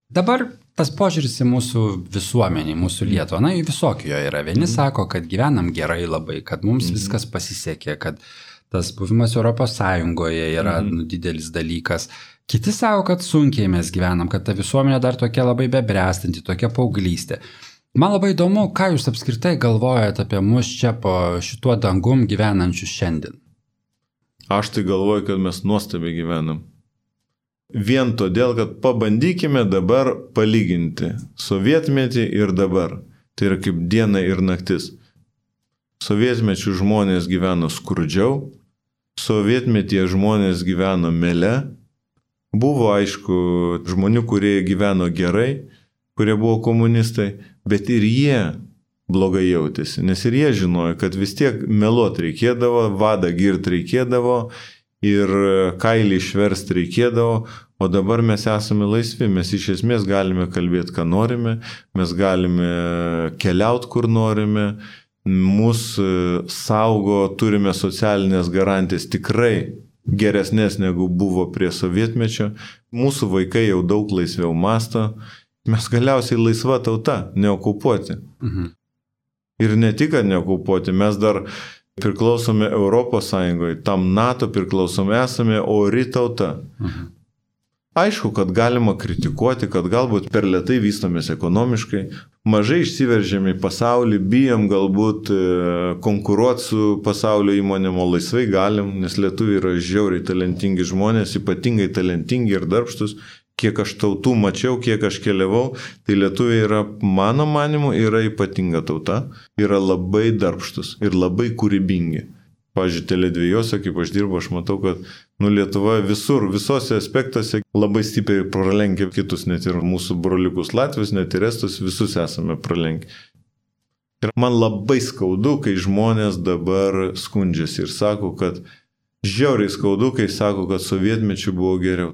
Dabar tas požiūris į mūsų visuomenį, mūsų Lietuvą, na, visokio yra. Vieni sako, kad gyvenam gerai labai, kad mums viskas pasisekė, kad tas buvimas Europos Sąjungoje yra didelis dalykas. Kiti sako, kad sunkiai mes gyvenam, kad ta visuomenė dar tokia labai bebręstanti, tokia paauglystė. Man labai įdomu, ką jūs apskritai galvojate apie mus čia po šituo dangum gyvenančius šiandien. Aš tai galvoju, kad mes nuostabiai gyvenam. Vien todėl, kad pabandykime dabar palyginti sovietmetį ir dabar. Tai yra kaip diena ir naktis. Sovietmečių žmonės gyveno skurdžiau, sovietmetyje žmonės gyveno mele. Buvo, aišku, žmonių, kurie gyveno gerai, kurie buvo komunistai, bet ir jie blogai jautėsi, nes ir jie žinojo, kad vis tiek meluot reikėdavo, vadą girt reikėdavo ir kailį išverst reikėdavo, o dabar mes esame laisvi, mes iš esmės galime kalbėti, ką norime, mes galime keliauti, kur norime, mūsų saugo, turime socialinės garantijas tikrai geresnės negu buvo prie sovietmečio, mūsų vaikai jau daug laisviau mąsto, mes galiausiai laisva tauta, neokupuoti. Ir ne tik, kad neokupuoti, mes dar priklausome Europos Sąjungoje, tam NATO priklausome, esame ori tauta. Aišku, kad galima kritikuoti, kad galbūt per lėtai vystomės ekonomiškai, mažai išsiveržėme į pasaulį, bijom galbūt konkuruoti su pasaulio įmonėm, o laisvai galim, nes lietuviai yra žiauriai talentingi žmonės, ypatingai talentingi ir darbštus. Kiek aš tautų mačiau, kiek aš keliavau, tai lietuviai yra, mano manimu, yra ypatinga tauta, yra labai darbštus ir labai kūrybingi. Pavyzdžiui, Tele2, kaip aš dirbu, aš matau, kad Lietuva visur, visose aspektuose labai stipriai pralenkia kitus, net ir mūsų broliukus Latvius, net ir Estus, visus esame pralenkę. Ir man labai skaudu, kai žmonės dabar skundžiasi ir sako, kad žiauriai skaudu, kai sako, kad sovietmečių buvo geriau.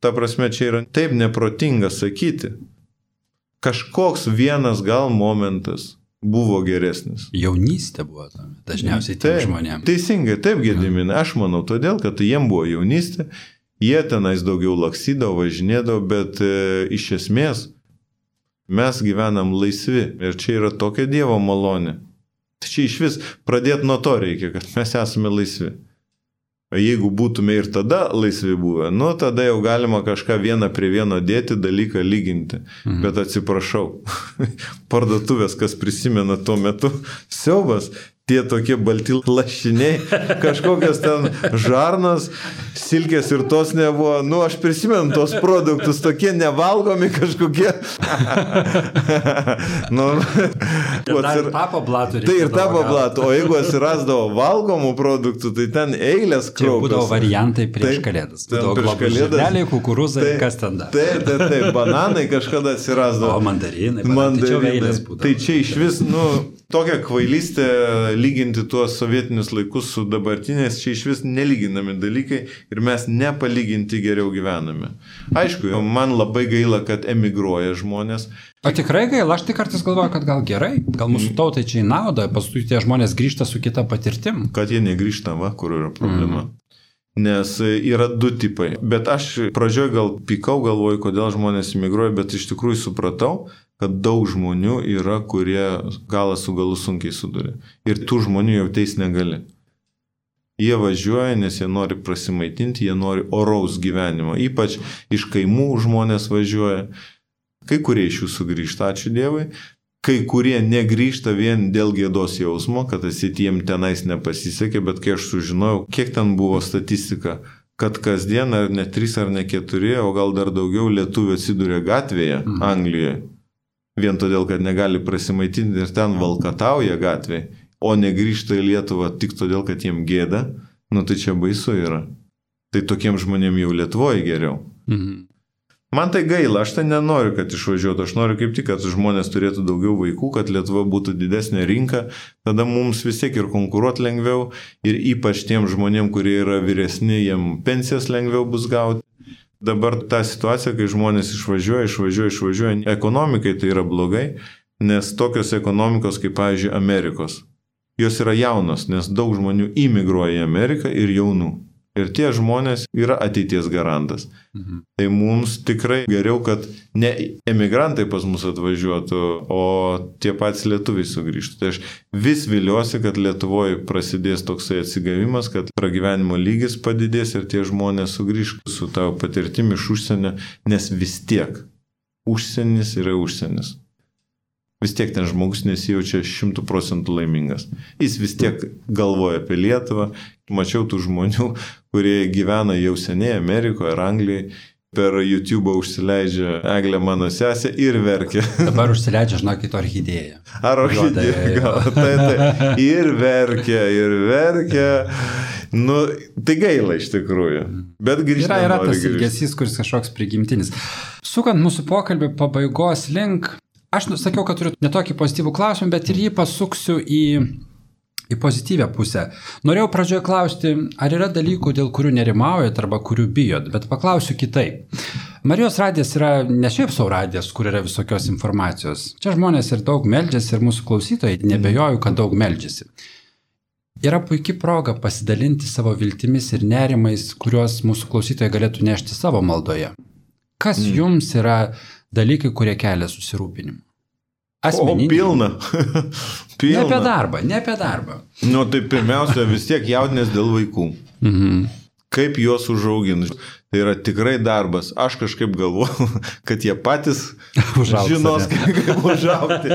Ta prasme, čia yra taip neprotinga sakyti. Kažkoks vienas gal momentas buvo geresnis. Jaunystė buvo tam, dažniausiai tiem žmonėms. Teisingai, taip, Gediminai, aš manau, todėl, kad jiem buvo jaunystė, jie tenais daugiau lakstydavo, važinėdavo, bet iš esmės mes gyvenam laisvi ir čia yra tokia Dievo malonė. Tai čia iš vis pradėti nuo to reikia, kad mes esame laisvi. Jeigu būtume ir tada laisvi buvę, tada jau galima kažką vieną prie vieno dėti, dalyką lyginti. Bet atsiprašau, parduotuvės, kas prisimena tuo metu, siaubas, tie tokie balti lašiniai, kažkokios ten žarnos, silkės ir tos nebuvo. Aš prisimenu tos produktus, tokie nevalgomi kažkokie. Ir tapo blatų. Tai ir tapo blatų, o jeigu atsirasdavo valgomų produktų, tai ten eilės kraupios. Čia būdavo variantai prieš kalėdas. Būdavo žirneliai, kukurūzai, kas ten dar. Taip, bananai kažkada atsirasdavo. O mandarinai, tai čia eilės būdavo. Tai čia iš vis, tokia kvailystė lyginti tuos sovietinius laikus su dabartinės, čia iš vis nelyginami dalykai ir mes nepalyginti geriau gyvename. Aišku, man labai gaila, kad emigruoja žmonės. O tikrai gaila, aš tik kartais galvoju, kad gal gerai, gal mūsų tautai čia į naudą, paskui tie žmonės grįžta su kita patirtim. Kad jie negrįžta, kur yra problema. Nes yra du tipai. Bet aš pradžioj gal pykau, galvoju, kodėl žmonės emigruoja, bet iš tikrųjų supratau, kad daug žmonių yra, kurie galą su galu sunkiai suduria. Ir tų žmonių jau teis negali. Jie važiuoja, nes jie nori prasimaitinti, jie nori oraus gyvenimo. Ypač iš kaimų žmonės važiuoja. Kai kurie iš jų sugrįžta, ačiū Dievui. Kai kurie negrįžta vien dėl gėdos jausmo, kad jiem tenais nepasisekė, bet kai aš sužinojau, kiek ten buvo statistika, kad kasdien ar ne 3 ar ne 4, o gal dar daugiau lietuvių atsiduria gatvėje Anglijoje. Vien todėl, kad negali prasimaitinti ir ten valkatauja gatvėje, o negrįžta į Lietuvą tik todėl, kad jiem gėda, tai čia baisu yra. Tai tokiem žmonėm jau Lietuvoje geriau. Man tai gaila, aš tai nenoriu, kad išvažiuotų, aš noriu kaip tik, kad žmonės turėtų daugiau vaikų, kad Lietuva būtų didesnė rinka, tada mums vis tiek ir konkuruoti lengviau ir ypač tiem žmonėm, kurie yra vyresni, jiem pensijas lengviau bus gauti. Dabar ta situacija, kai žmonės išvažiuoja, ekonomikai tai yra blogai, nes tokios ekonomikos kaip, pavyzdžiui, Amerikos, jos yra jaunos, nes daug žmonių imigruoja į Ameriką ir jaunų. Ir tie žmonės yra ateities garantas. Tai mums tikrai geriau, kad ne emigrantai pas mus atvažiuotų, o tie patys lietuviai sugrįžtų. Tai aš vis viliuosi, kad Lietuvoje prasidės toksai atsigavimas, kad pragyvenimo lygis padidės ir tie žmonės sugrįž su tavo patirtimi iš užsienio, nes vis tiek užsienis yra užsienis. Vis tiek ten žmogus nesijaučia 100% laimingas. Jis vis tiek galvoja apie Lietuvą. Mačiau tų žmonių, kurie gyvena jau seniai Amerikoje ar Anglijoje. Per YouTube užsileidžia Eglė mano sesė ir verkia. Dabar užsileidžia, žinokit, orchidėją. Ar orchidėją? Tai. Ir verkia. Nu, tai gaila iš tikrųjų. Bet grįžtame. Yra tas ilgesys, kuris kažkoks prigimtinis. Sukant mūsų pokalbį pabaigos link, aš sakiau, kad turiu netokį pozityvų klausimą, bet ir jį pasuksiu į pozityvę pusę. Norėjau pradžioje klausti, ar yra dalykų, dėl kurių nerimaujat arba kurių bijot, bet paklausiu kitaip. Marijos radijas yra ne šiaip savo radijas, kur yra visokios informacijos. Čia žmonės ir daug meldžiasi ir mūsų klausytojai, nebejoju, kad daug meldžiasi. Yra puikia proga pasidalinti savo viltimis ir nerimais, kuriuos mūsų klausytojai galėtų nešti savo maldoje. Kas jums yra dalykai, kurie kelia susirūpinimą? Asmeninį. O, pilna. Ne apie darbą. Nu, tai pirmiausia, vis tiek jaudinės dėl vaikų. Kaip juos užauginti. Tai yra tikrai darbas. Aš kažkaip galvoju, kad jie patys žinos, kaip užaugti.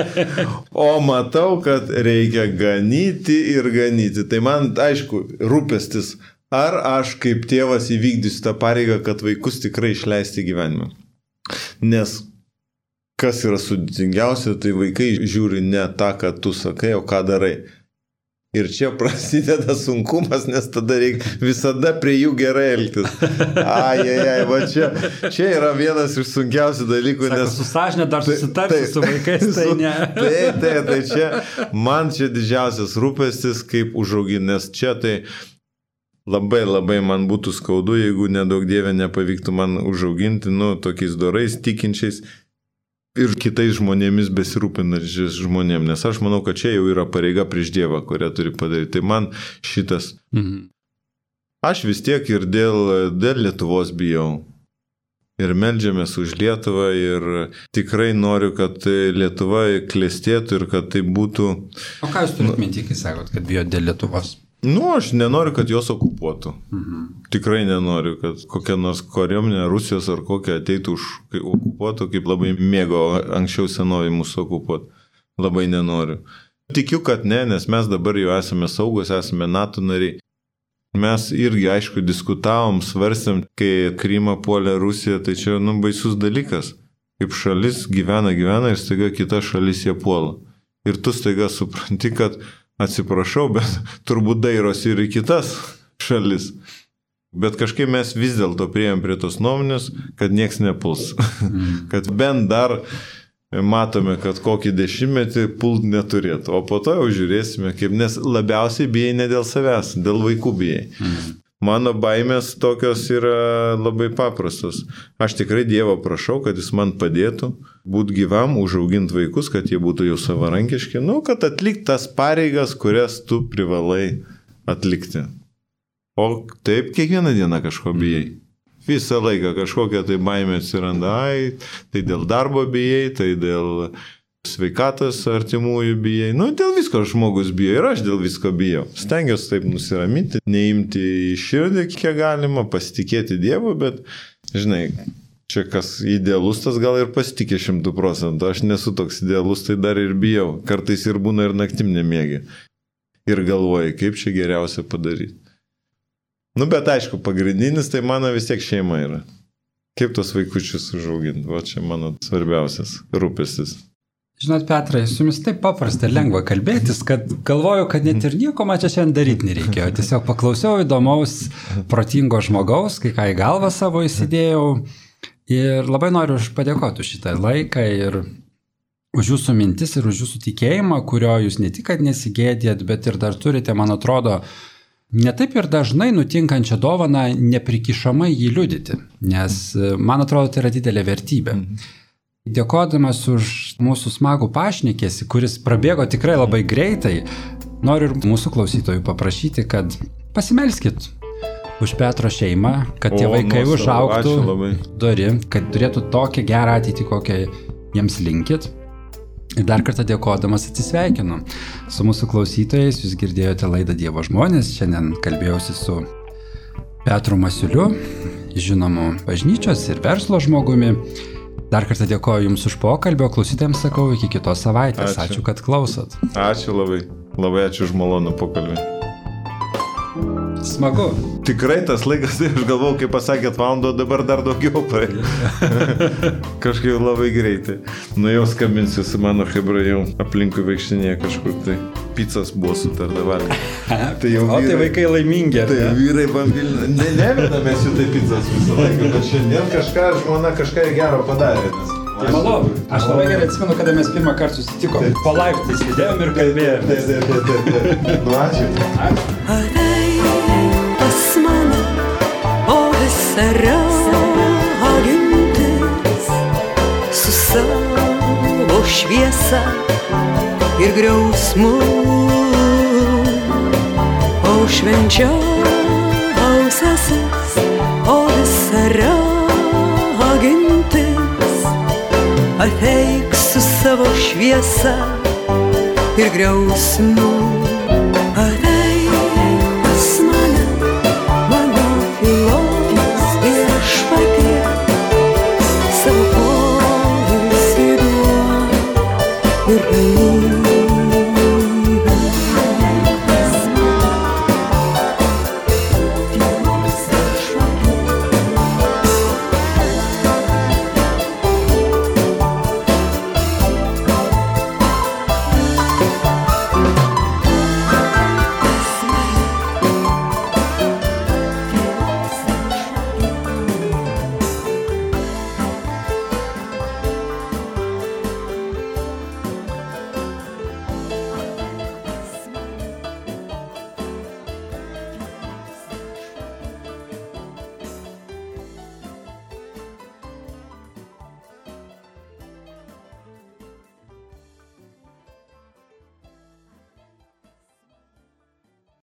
O matau, kad reikia ganyti ir ganyti. Tai man, aišku, rūpestis, ar aš kaip tėvas įvykdysiu tą pareigą, kad vaikus tikrai išleisti gyvenimą. Nes kas yra sudėtingiausia, tai vaikai žiūri ne tą, ką tu sakai, o ką darai. Ir čia prasideda sunkumas, nes tada reikia visada prie jų gerai elgtis. Va čia yra vienas iš sunkiausių dalykų. Sako, nes su sąžinė dar susitarsi su vaikais, tai ne. Tai čia, man čia didžiausias rūpestis, kaip užauginti, nes čia tai labai man būtų skaudu, jeigu nedaug dievė nepavyktų man užauginti, tokiais dorais, tikinčiais ir kitais žmonėmis besirūpinančiais žmonėm, nes aš manau, kad čia jau yra pareiga prieš Dievą, kurią turi padaryti. Tai man šitas. Aš vis tiek ir dėl Lietuvos bijau. Ir meldžiamės už Lietuvą ir tikrai noriu, kad Lietuva klestėtų ir kad tai būtų... O ką jūs turite minti, kai sakot, kad bijot dėl Lietuvos? Aš nenoriu, kad jos okupuotų. Tikrai nenoriu, kad kokia nors kariuomenė Rusijos ar kokia ateitų okupuotų, kaip labai mėgo anksčiau senovai mūsų okupuoti. Labai nenoriu. Tikiu, kad ne, nes mes dabar jau esame saugus, esame NATO nariai. Mes irgi, aišku, diskutavom, svarstėm, kai Krymą puolė Rusija, tai čia, baisus dalykas. Kaip šalis gyvena ir staiga kita šalis jie puola. Ir tu staiga supranti, kad atsiprašau, bet turbūt dairosi ir į kitas šalis. Bet kažkaip mes vis dėlto priėjom prie tos nuomonės, kad nieks nepuls. Kad bent dar matome, kad kokį 10-metį pult neturėtų. O po to jau žiūrėsime, kaip, nes labiausiai bijai ne dėl savęs, dėl vaikų bijai. Mano baimės tokios yra labai paprastos. Aš tikrai Dievo prašau, kad jis man padėtų būti gyvam, užauginti vaikus, kad jie būtų jau savarankiški, kad atlikti tas pareigas, kurias tu privalai atlikti. O taip kiekvieną dieną kažko bijai. Visą laiką kažkokia tai baimė atsiranda, tai dėl darbo bijai, tai dėl sveikatos artimųjų bijai. Dėl visko žmogus bijo ir aš dėl visko bijau. Stengiuosi taip nusiraminti, neimti į širdį, kiek galima, pasitikėti Dievu, bet, žinai, čia kas idealus, tas gal ir pasitikė 100%. Aš nesu toks idealus, tai dar ir bijau. Kartais ir būna ir naktim nemiegi. Ir galvoji, kaip čia geriausia padaryti. Bet aišku, pagrindinis tai mano vis tiek šeima yra. Kaip tos vaikučius užauginti. Va čia mano svarbiausias rūpestis. Žinot, Petrai, su jumis taip paprasta ir lengva kalbėtis, kad galvoju, kad net ir nieko man čia šiandien daryti nereikėjo. Tiesiog paklausiau įdomaus, protingo žmogaus, kai ką į galvą savo įsidėjau. Ir labai noriu padėkoti už šitą laiką ir už jūsų mintis ir už jūsų tikėjimą, kurio jūs ne tik, kad nesigėdėt, bet ir dar turite, man atrodo, netaip ir dažnai nutinkančią dovaną neprikišamai jį liudyti. Nes, man atrodo, tai yra didelė vertybė. Dėkodamas už mūsų smagų pašnekėsi, kuris prabėgo tikrai labai greitai, noriu ir mūsų klausytojų paprašyti, kad pasimelskit už Petro šeimą, kad tie vaikai užaugtų dori, kad turėtų tokią gerą ateitį, kokią jiems linkit. Ir dar kartą dėkodamas atsisveikinu su mūsų klausytojais. Jūs girdėjote laidą Dievo žmonės. Šiandien kalbėjausi su Petru Masiuliu, žinomu bažnyčios ir verslo žmogumi. Dar kartą dėkoju Jums už pokalbį, o klausytėjams sakau iki kitos savaitės. Ačiū, kad klausot. Ačiū labai. Labai ačiū už malonų pokalbį. Smagu. Tikrai tas laikas, tai aš galvau, kai pasakėt valandą, dabar dar daugiau praėjo. Kažkaip labai greitai. Nu jau skambinsiu su mano hebra, jau aplinkui vaikštinėje kažkur, tai pizzas buvo sutarta valgyti. Tai jau vyrai, tai vaikai laimingi. Tai vyrai bambilina. Nevedamės jų tai pizzas visą laiką, bet šiandien žmona kažką gero padarė. Tai malonu. Aš labai gerai atsimenu, kada mes pirmą kartą susitikom. Po laiptais sėdėjom ir kalbėjom. Nu, ačiū. Pas mane, o visa ragintis su savo šviesa ir griausmu, o švenčiausiasis, o visa ragintis ateik su savo šviesa ir griausmu.